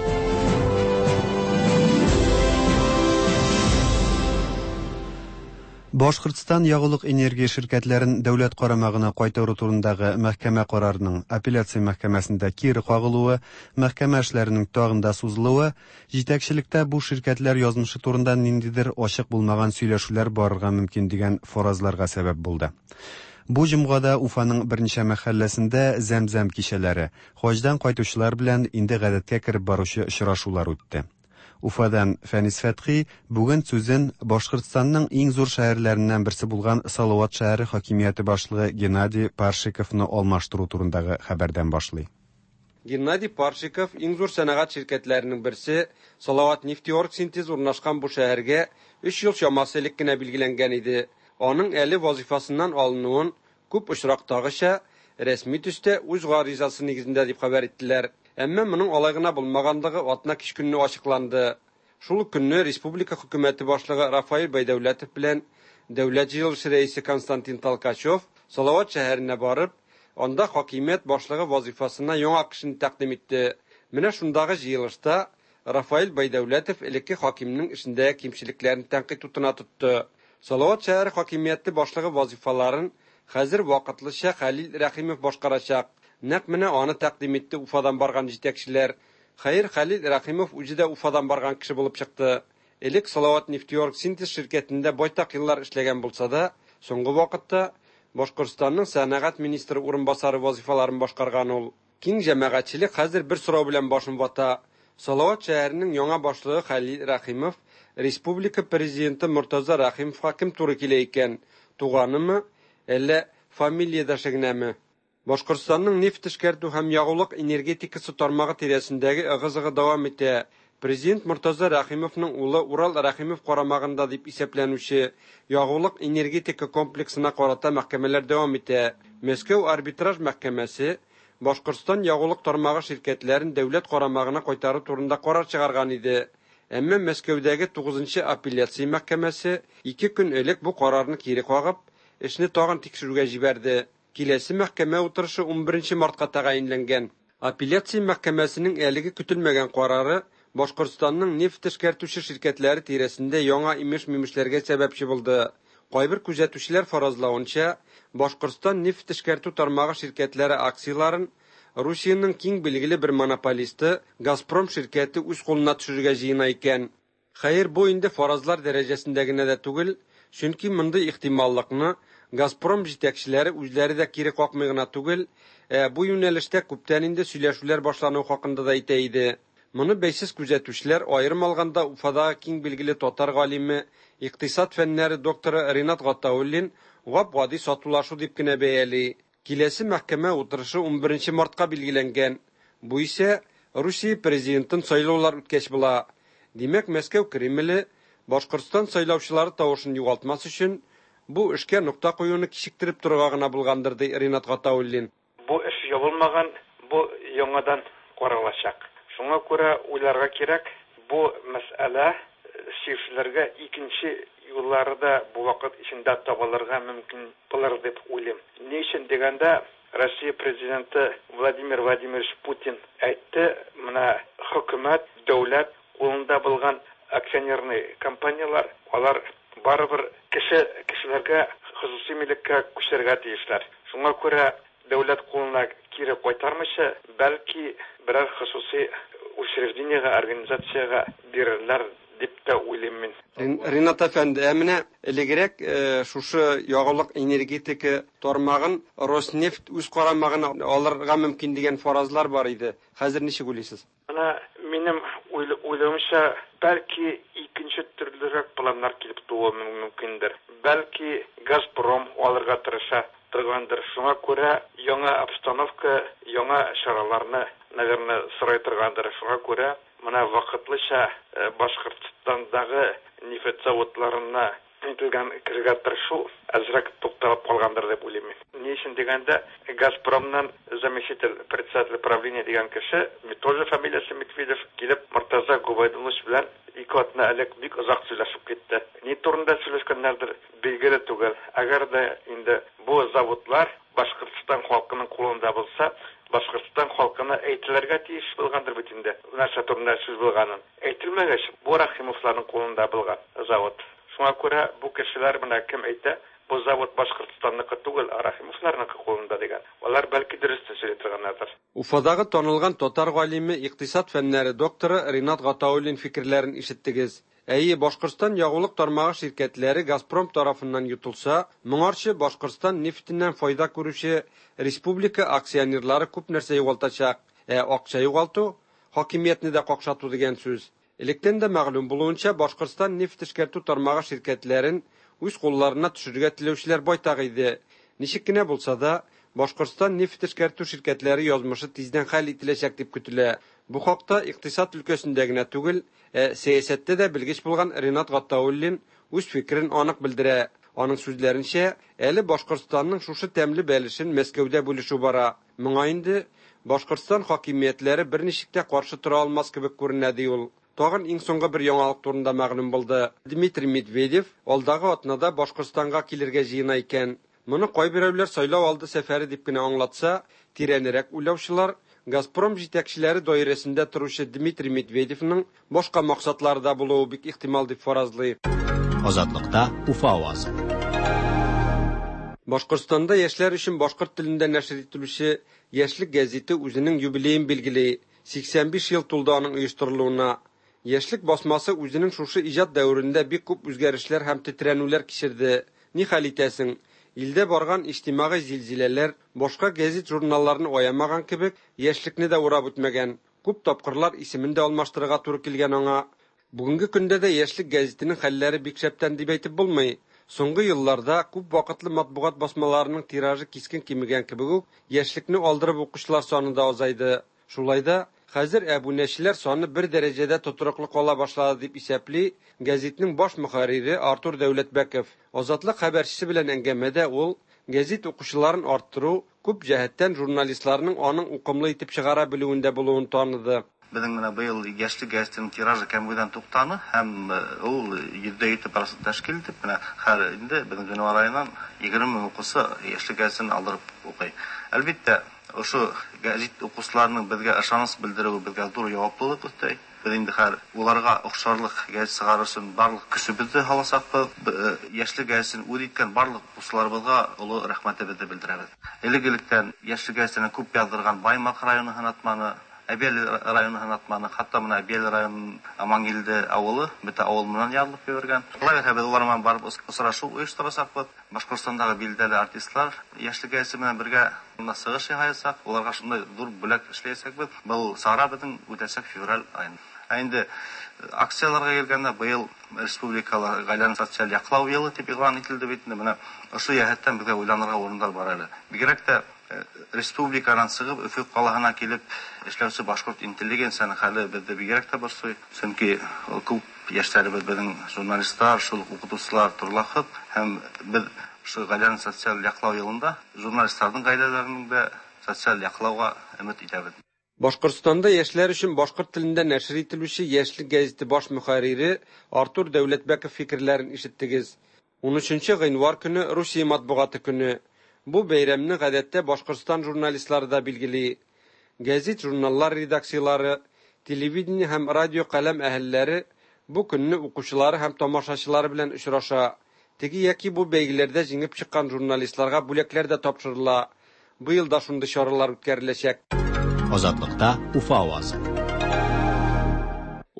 Башкортстан ягулык энергия ширкәтләрен дәүләт карамагына кайтару турындагы мәхкәмә карарының апелляция мәхкәмәсендә кире кагылуы, мәхкәмә эшләренең тагын да сузылуы, җитәкчелектә бу ширкәтләр язмышы турында ниндидер ачык булмаган сөйләшүләр барырга мөмкин дигән фаразларга сәбәп булды. Бу җомгада Уфаның берничә мәхәлләсендә зәм-зәм кичәләре, хаҗдан кайтучылар белән инде гадәткә кереп баручы очрашулар үтте. Уфадан Фәнис Фәтхи бүген сүзен Башкортстанның иң зур шәһәрләреннән берсе булган Салават шәһәре хакимияте башлыгы Геннадий Паршиковны алмаштыру турындагы хәбәрдән башлый. Геннадий Паршиков иң зур сәнәгать ширкәтләренең берсе Салават нефтеоргсинтез урнашкан бу шәһәргә өч ел чамасы элек кенә билгеләнгән иде. Аның әле вазифасыннан алынуын күп очрактагыча рәсми төстә үз гаризасы нигезендә дип хәбәр иттеләр. Әмма моның алай гына булмаганлыгы атна кич көнне ачыкланды. Шул ук көнне республика хөкүмәте башлыгы Рафаэль Байдәүләтов белән дәүләт җыелышы рәисе Константин Толкачев Салават шәһәренә барып, анда хакимият башлыгы вазифасына яңа кешене тәкъдим итте. Менә шундагы җыелышта Рафаэль Байдәүләтов элекке хакимнең эшендәге кимчелекләрен тәнкыйть утына тотты. Салават шәһәре хакимияте башлыгы вазифаларын хәзер вакытлыча Хәлил Рәхимов башкарачак. Нәкъ менә аны тәкъдим итте Уфадан барган җитәкчеләр. Хәер, Хәлил Рәхимов үзе дә Уфадан барган кеше булып чыкты. Элек Салават нефтеоргсинтез ширкәтендә байтак еллар эшләгән булса да, соңгы вакытта Башкортстанның сәнәгать министры урынбасары вазифаларын башкарган ул. Киң җәмәгатьчелек хәзер бер сорау белән башын вата. Салават шәһәренең яңа башлыгы Хәлил Рәхимов республика президенты Мортаза Рәхимовка кем туры килә икән? Туганымы, әллә фамилиядәше генәме? Башкортстанның нефть эшкәртү һәм ягулык энергетикасы тармагы тирәсендәге ыгы-зыгы дәвам итә. Президент Мортаза Рәхимовның улы Урал Рәхимов карамагында дип исәпләнүче ягулык энергетика комплексына карата мәхкәмәләр дәвам итә. Мәскәү арбитраж мәхкәмәсе Башкортстан ягулык тармагы ширкәтләрен дәүләт карамагына кайтару турында карар чыгарган иде. Әмма Мәскәүдәге тугызынчы апелляция мәхкәмәсе ике көн элек бу карарны кире кагып, эшне тагын тикшерүгә җибәрде. Киләсе мәхкәмә утырышы унберенче мартка тәгаенләнгән. Апелляция мәхкәмәсенең әлеге көтелмәгән карары Башкортстанның нефть эшкәртүче ширкәтләре тирәсендә яңа имеш-мимешләргә сәбәпче булды. Кайбер күзәтүчеләр фаразлавынча, Башкортстан нефть эшкәртү тармагы ширкәтләре акцияләрен Русиянең киң билгеле бер монополисты Газпром ширкәте үз кулына төшерергә җыена икән. Хәер, бу инде фаразлар дәрәҗәсендә генә дә түгел, чөнки мондый ихтималлыкны Газпром җитәкчеләре үзләре дә кире какмый гына түгел, ә бу юнәлештә күптән инде сөйләшүләр башлануы хакында да әйтә иде. Моны бәйсез күзәтүчеләр аерым алганда Уфадагы киң билгеле татар галиме, икътисад фәннәре докторы Ринат Гатауллин гап-гади сатулашу дип кенә бәяли. Киләсе мәхкәмә утырышы унберенче мартка билгеләнгән. Бу исә Русия президентын сайлаулар үткәч була. Димәк, Мәскәү Кремле Башкортстан сайлаучылары тавышын югалтмас өчен бу эшкә нокта куюны кичектереп торырга гына булгандыр, ди Ринат Гатауллин. Бу эш ябылмаган, бу яңадан каралачак. Шуңа күрә уйларга кирәк, бу мәсьәлә чишелергә икенче юллары да бу вакыт эчендә табылырга мөмкин булыр дип уйлыйм. Ни өчен дигәндә, Россия президенты Владимир Владимирович Путин әйтте, менә хөкүмәт, дәүләт кулында булган акционерный компаниялар, алар барыбер кеше кешеләргә хосусый милеккә күчәргә тиешләр. Шуңа күрә дәүләт кулына кире кайтармыйча, бәлки берәр хосусый учреждениегә, организациягә бирерләр дип тә уйлыйм мин. Ринат әфәнде, ә менә элегрәк шушы ягулык энергетика тармагын Роснефть үз карамагына алырга мөмкин дигән фаразлар бар иде. Хәзер ничек уйлыйсыз? Менә минем уйлавымча, бәлки икенче төрлерәк планнар килеп тууы мөмкиндер. Бәлки Газпром алырга тырыша торгандыр. Шуңа күрә яңа обстановка, яңа чараларны, наверное, сорай торгандыр. Шуңа күрә менә вакытлыча Башкортстандагы нефть заводларына әйтелгән керергә тырышу әзрәк тукталып калгандыр дип уйлыйм мин. Ни өчен дигәндә, Газпромнан заместитель председатель правления дигән кеше, тоже фамилиясе Медведев, килеп Мортаза Губайдуллович белән ике атна элек бик озак сөйләшеп китте. Ни турында сөйләшкәннәрдер билгеле түгел. Әгәр дә инде бу заводлар Башкортстан халкының кулында булса, Башкортстан халкына әйтелергә тиеш булгандыр бит инде. Нәрсә турында сүз булганын. Әйтелмәгәч, бу Рахимовларның кулында булган завод. Шуңа күрә бу кешеләр менә кем әйтә, бу завод Башкортстанныкы түгел, ә Рахимовларныкы кулында дигән. Алар бәлки дөрес тә сөйли торганнардыр. Уфадагы танылган татар галиме, икътисад фәннәре докторы Ринат Гатауллин фикерләрен ишеттегез. Әйе, Башкортстан ягулык тармагы ширкәтләре Газпром тарафыннан йотылса, моңарчы Башкортстан нефтеннән файда күрүче республика акционерлары күп нәрсә югалтачак. Ә акча югалту хакимиятне дә какшату дигән сүз. Электән дә мәгълүм булуынча, Башкортстан нефть эшкәртү тармагы ширкәтләрен үз кулларына төшерергә теләүчеләр байтак иде. Ничек кенә булса да, Башкортстан нефть эшкәртү ширкәтләре язмышы тиздән хәл ителәчәк дип көтелә. Бу хакта икътисад өлкәсендә генә түгел, ә сәясәттә дә белгеч булган Ринат Гатауллин үз фикерен анык белдерә. Аның сүзләренчә, әле Башкортстанның шушы тәмле бәлешен Мәскәүдә бүлешү бара. Моңа инде Башкортстан хакимиятләре берничек тә каршы тора алмас кебек күренә, ди ул. Тагын иң соңгы бер яңалык турында мәгълүм булды. Дмитрий Медведев алдагы атнада Башкортстанга килергә җыена икән. Моны кайберәүләр сайлау алды сәфәре дип кенә аңлатса, тирәнрәк уйлаучылар Газпром җитәкчеләре даирәсендә торучы Дмитрий Медведевның башка максатлары да булуы бик ихтимал дип фаразлый. Азатлыкта Уфа авазы. Башкортстанда яшьләр өчен башкорт телендә нәшер ителүче Яшьлек гәзите үзенең юбилеен билгели. сиксән биш ел тулды аның оештырылуына. Яшьлек басмасы үзенең шушы иҗат дәверендә бик күп үзгәрешләр һәм тетрәнүләр кичерде. Ни хәл итәсең? Илдә барган иҗтимагый зилзиләләр башка гәзит-журналларны аямаган кебек, Яшьлекне дә урап үтмәгән. Күп тапкырлар исемен дә алмаштырырга туры килгән аңа. Бүгенге көндә дә Яшьлек гәзитенең хәлләре бик шәптән дип әйтеп булмый. Соңгы елларда күп вакытлы матбугат басмаларының тиражы кискен кимегән кебек үк, Яшьлекне алдырып укучылар саны да азайды. Шулай да хәзер әбүнәчеләр саны бер дәрәҗәдә тотрыклы кала башлады дип исәпли гәзитнең баш мөхәррире Артур Дәүләтбәков. Азатлык хәбәрчесе белән әңгәмәдә ул гәзит укучыларын арттыру күп җәһәттән журналистларның аның укымлы итеп чыгара белүендә булуын таныды. Безнең менә быел Яшьлек гәзитенең тиражы кәмүдән туктаны һәм ул йөздә җиде процент тәшкил итеп, менә хәзер инде безнең гыйнвар аеннан егерме мең укучы Яшьлек гәзитен алдырып укый. Әлбәттә, ошо гәзит укучыларының безгә ышаныч белдерүе безгә зур җаваплылык өстәй. Без инде хәзер уларга охшарлык гәзит чыгару өчен барлык көчебезне һаласакбыз. Яшьлек гәзитен үз иткән барлык укучыларыбызга олы рәхмәтебезне белдерәбез. Элек-электән Яшьлек гәзитенә күп яздырган Баймак районы һынатманы, Әбиәле районы һынатманы, хатта менә Әбиәле районының Амангилде авылы, бөтә авыл менән язылып йөргән. Шулай итеп, без улар менән барып очрашу оештырасакбыз. Башкортстандагы билгеле артистлар Яшьлек гәзите менән бергә монда чыгыш ясыйсак, уларга шундай зур бүләк эшләячәкбез. Был чара безнең үтәчәк февраль аенда. Ә инде акцияләргә килгәндә, быел республикала гаиләне социаль яклау елы дип игълан ителде бит инде. Менә ошо җәһәттән безгә уйланырга урыннар бар әле. Бигрәк тә республикадан чыгып Өфө калаһына килеп эшләүче башкорт интеллигенцияның хәле бездә бигрәк тә борчый. Чөнки күп яшьләребез безнең журналистлар, шул ук укытучылар торлахыт һәм без шул гаиләне социаль яклау елында журналистларның гаиләләренең дә социаль яклауга өмет итәбез. Башкортстанда яшьләр өчен башкорт телендә нәшер ителүче Яшьлек гәзите баш мөхәррире Артур Дәүләтбәков фикерләрен ишеттегез. Унөченче гыйнвар көне Русия матбугаты көне. Бу бәйрәмне гадәттә Башкортстан журналистлары да билгели. Гәзит, журналлар редакциялары, телевидение һәм радио каләм әһелләре бу көнне укучылары һәм тамашачылары белән очраша. Теге яки бу бәйгеләрдә җиңеп чыккан журналистларга бүләкләр дә тапшырыла. Быел да шундый чаралар үткәреләчәк. Азатлыкта Уфа авазы.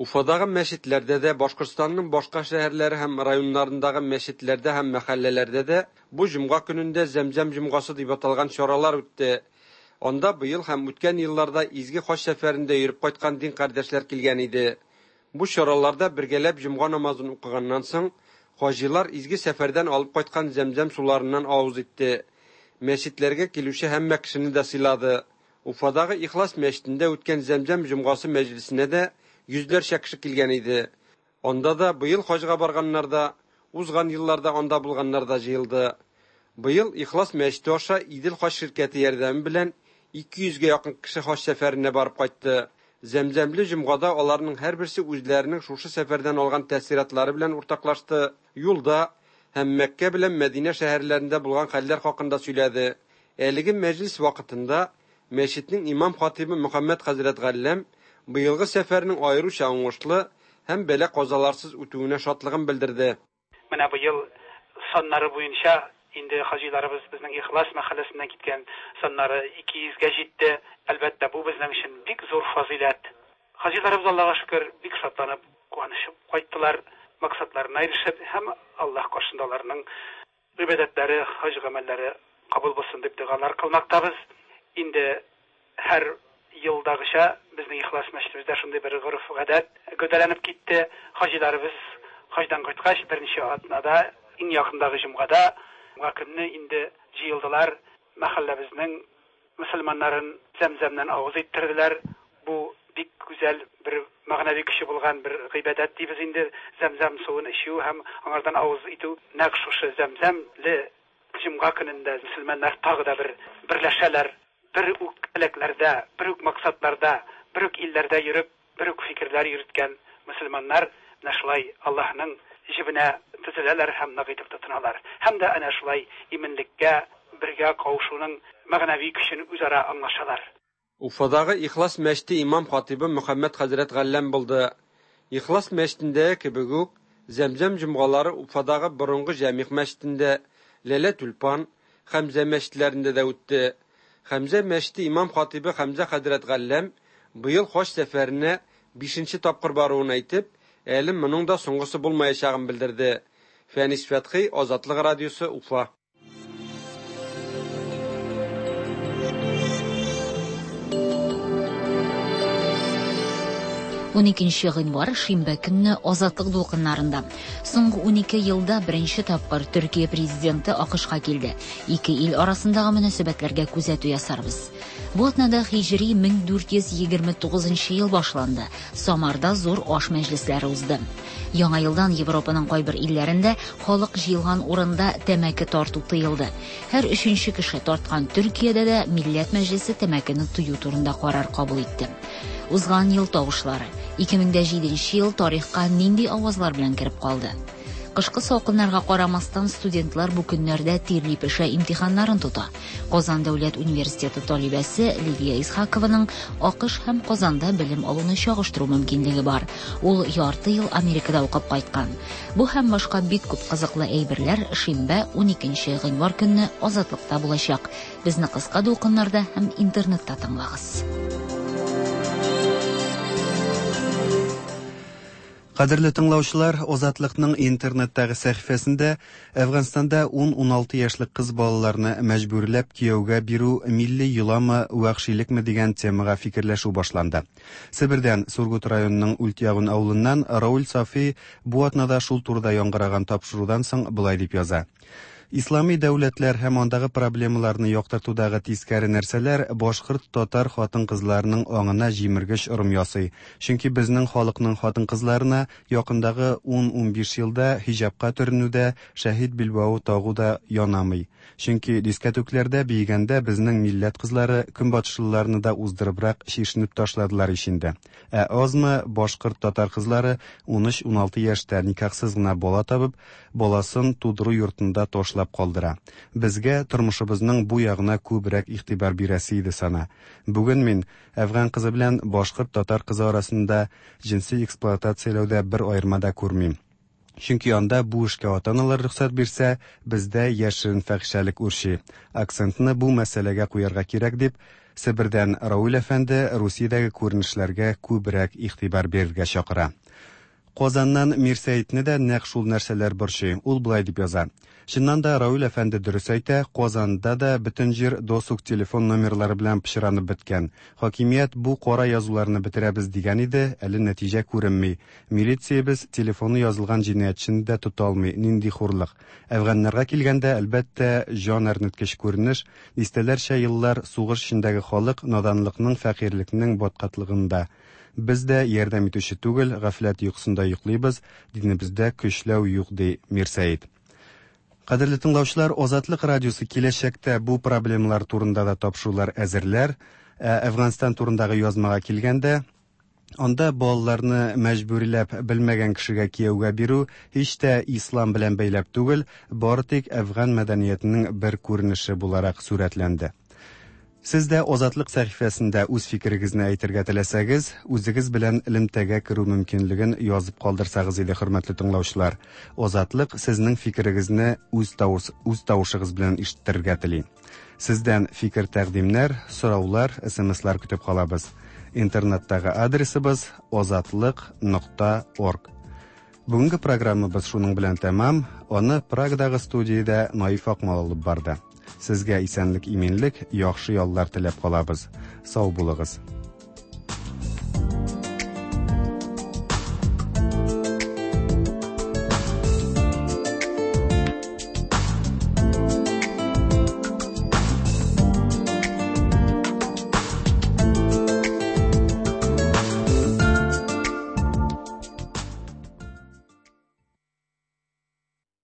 Уфадагы мәчетләрдә дә, Башкортстанның башка шәһәрләре һәм районнарындагы мәчетләрдә һәм мәхәлләләрдә дә бу җомга көнендә Зәмзәм җомгасы дип аталган чаралар үтте. Анда быел һәм үткән елларда изге хаҗ сәфәрендә йөреп кайткан дин кардәшләр килгән иде. Бу чараларда бергәләп җомга намазын укыганнан соң, хаҗилар изге сәфәрдән алып кайткан зәмзәм суларыннан авыз итте. Мәчетләргә килүче һәммә кешене дә сыйлады. Уфадагы Ихлас мәчетендә үткән Зәмзәм җомгасы мәҗлесенә дә йөзләрчә кеше килгән иде. Анда да быел хаҗга барганнар да, узган елларда анда булганнар да җыелды. Быел Ихлас мәчете аша Идел хаҗ ширкәте ярдәме белән ике йөзгә якын кеше хаҗ сәфәренә барып кайтты. Зәмзәмле җомгада аларның һәрберсе үзләренең шушы сәфәрдән алган тәэсиратлары белән уртаклашты. Юлда һәм Мәккә белән Мәдинә шәһәрләрендә булган хәлләр хакында сөйләде. Әлеге мәҗлес вакытында мәчетнең имам хатибы Мөхәммәд хәзрәт Галләм быелгы сәфәрнең аеруча уңышлы һәм бәла-казаларсыз үтүенә шатлыгын белдерде. Менә быел саннары буенча инде хаҗиларыбыз безнең Ихлас мәхәлләсеннән киткән саннары ике йөзгә җитте. Әлбәттә, бу безнең өчен бик зур фазыйләт. Хаҗиларыбыз Аллага шөкер бик шатланып, куанышып кайттылар, максатларына ирешеп һәм Аллаһ каршында аларның гыйбадәтләре, хаҗ гамәлләре кабул булсын дип догалар кылмактабыз. Инде һәр елдагыча безнең Ихлас мәчетебездә шундый бер гореф-гадәт гәүдәләнеп китте. Хаҗиларыбыз хаҗдан кайткач берничә атнада, иң якындагы җомгада, җомга көнне инде җыелдылар, мәхәлләбезнең мөселманнарын зәмзәмнән авыз иттерделәр. Бу бик гүзәл бер мәгънәви көче булган бер гыйбадәт дибез инде. Зәмзәм суын эчү һәм аңардан авыз итү. Нәкъ шушы зәмзәмле җомга көнендә мөселманнар тагы да бер берләшәләр, бер үк теләкләрдә, бер үк максатларда, бер үк илләрдә йөреп, бер үк фикерләр йөрткән мөселманнар менә шулай Аллаһның җебенә төзеләләр һәм нык итеп тотыналар. Һәм дә әнә шулай иминлеккә, бергә кавышуның мәгънәви көчен үзара аңлашалар. Уфадагы Ихлас мәчете имам хатибы Мөхәммәд хәзрәт Галләм булды. Ихлас мәчетендәге кебек үк Зәмзәм җомгалары Уфадагы борынгы Җәмигъ мәчетендә, Ләлә Тюльпан, Хәмзә мәчетләрендә дә үтте. Хәмзә мәчете имам хатибы Хәмзә хәзрәт Галләм быел хаҗ сәфәренә бишенче тапкыр баруын әйтеп, әле моның да соңгысы булмаячагын белдерде. Фәнис Фәтхи, Азатлык радиосы, Уфа. Уникенче гыйнвар шимбә көнне Азатлык дулкыннарында. Соңгы унике елда беренче тапкыр Төркия президенты АКШка килде. Ике ил арасындагы мөнәсәбәтләргә күзәтү ясарбыз. Бу атнада хиҗри мең дүрт йөз егерме тугызынчы ел башланды. Самарда зур аш мәҗлесләре узды. Яңа елдан Европаның кайбер илләрендә халык җыелган урында тәмәке тарту тыелды. Һәр өченче кеше тарткан Төркиядә дә Милләт Мәҗлесе тәмәкене тыю турында карар кабул итте. Узган ел тавышлары. Ике мең дә җиденче ел тарихка нинди авазлар белән кереп калды? Кышкы салкыннарга карамастан студентлар бу көннәрдә тирли пешә имтиханнарын тота. Казан дәүләт университеты талибәсе Лилия Исхакованың АКШ һәм Казанда белем алуны чагыштыру мөмкинлеге бар. Ул ярты ел Америкада укып кайткан. Бу һәм башка бик күп кызыклы әйберләр шимбә уникенче гыйнвар көнне Азатлыкта булачак. Безне кыска дулкыннарда һәм интернетта тыңлагыз. Кадерле тыңлаучылар, Азатлыкның интернеттагы сәхифәсендә Әфганстанда ун-уналты яшьлек кыз балаларны мәҗбүрләп кияүгә бирү милли йоламы, вәхшилекме дигән темага фикерләшү башланды. Себердән Сургут районының Ультягун авылыннан Рауль Сафи бу атнада шул турыда яңгыраган тапшырудан соң болай дип яза. Ислами дәүләтләр һәм андагы проблемаларны яктыртудагы тискәре нәрсәләр башкорт татар хатын-кызларының аңына җимергеч ырым ясый. Чөнки безнең халыкның хатын-кызларына якындагы ун-унбиш елда хиҗапка төренүдә, шәһид билбавы тагу да янамый. Чөнки дискәтүкләрдә биегәндә безнең милләт кызлары көнбатышлыларны да уздырыбрак чишенеп ташладылар ичендә. Ә азмы башкорт татар кызлары ун өч-уналты яшьтә никахсыз гына бала табып, баласын тудыру йортында ташлап калдыра. Безгә тормышыбызның бу ягына күбрәк игътибар бирәсе иде сана. Бүген мин әфган кызы белән башкорт татар кызы арасында җенси эксплуатацияләүдә бер аерма да күрмим. Чөнки анда бу эшкә ата-аналар рөхсәт бирсә, бездә яшерен фәхишәлек үрчи. Акцентны бу мәсьәләгә куярга кирәк дип Себердән Рауль әфәнде Русиядәге күренешләргә күбрәк игътибар бирергә чакыра. Казаннан Мирсәетне дә нәкъ шул нәрсәләр борчый. Ул болай дип яза. Чыннан да Рауль әфәнде дөрес әйтә, Казанда да бөтен җир досуг телефон номерлары белән пычранып беткән. Хакимият бу кара язуларны бетерәбез дигән иде, әле нәтиҗә күренми. Милициябез телефоны язылган җинаятьчене дә тота алмый. Нинди хурлык. Әфганнарга килгәндә, әлбәттә, җан әрнеткеч күренеш, дистәләрчә еллар сугыш эчендәге халык наданлыкның, фәкыйрьлекнең баткаклыгында. Без дә ярдәм итүче түгел, гафләт йокысында йоклыйбыз, динебездә көчләү юк, ди Мирсәет. Кадерле тыңлаучылар, Азатлык радиосы киләчәктә бу проблемалар турында да тапшырулар әзерләр. Ә Әфганстан турындагы язмага килгәндә, анда балаларны мәҗбүриләп белмәгән кешегә кияүгә бирү һич тә ислам белән бәйләп түгел, бары тик әфган мәдәниятенең бер күренеше буларак сурәтләнде. Сез дә Азатлык сәхифәсендә үз фикерегезне әйтергә теләсәгез, үзегез белән элемтәгә керү мөмкинлеген язып калдырсагыз иде, хөрмәтле тыңлаучылар. Азатлык сезнең фикерегезне үз тавыш, үз тавышыгыз белән ишеттерергә тели. Сездән фикер тәкъдимнәр, сораулар, СМСлар көтеп калабыз. Интернеттагы адресыбыз азатлык нокта орг. Бүгенге программабыз шуның белән тәмам. Аны Прагадагы студиядә Наиф Акмал алып барды. Сезгә исәнлек, иминлек, яхшы яллар теләп калабыз. Сау булыгыз.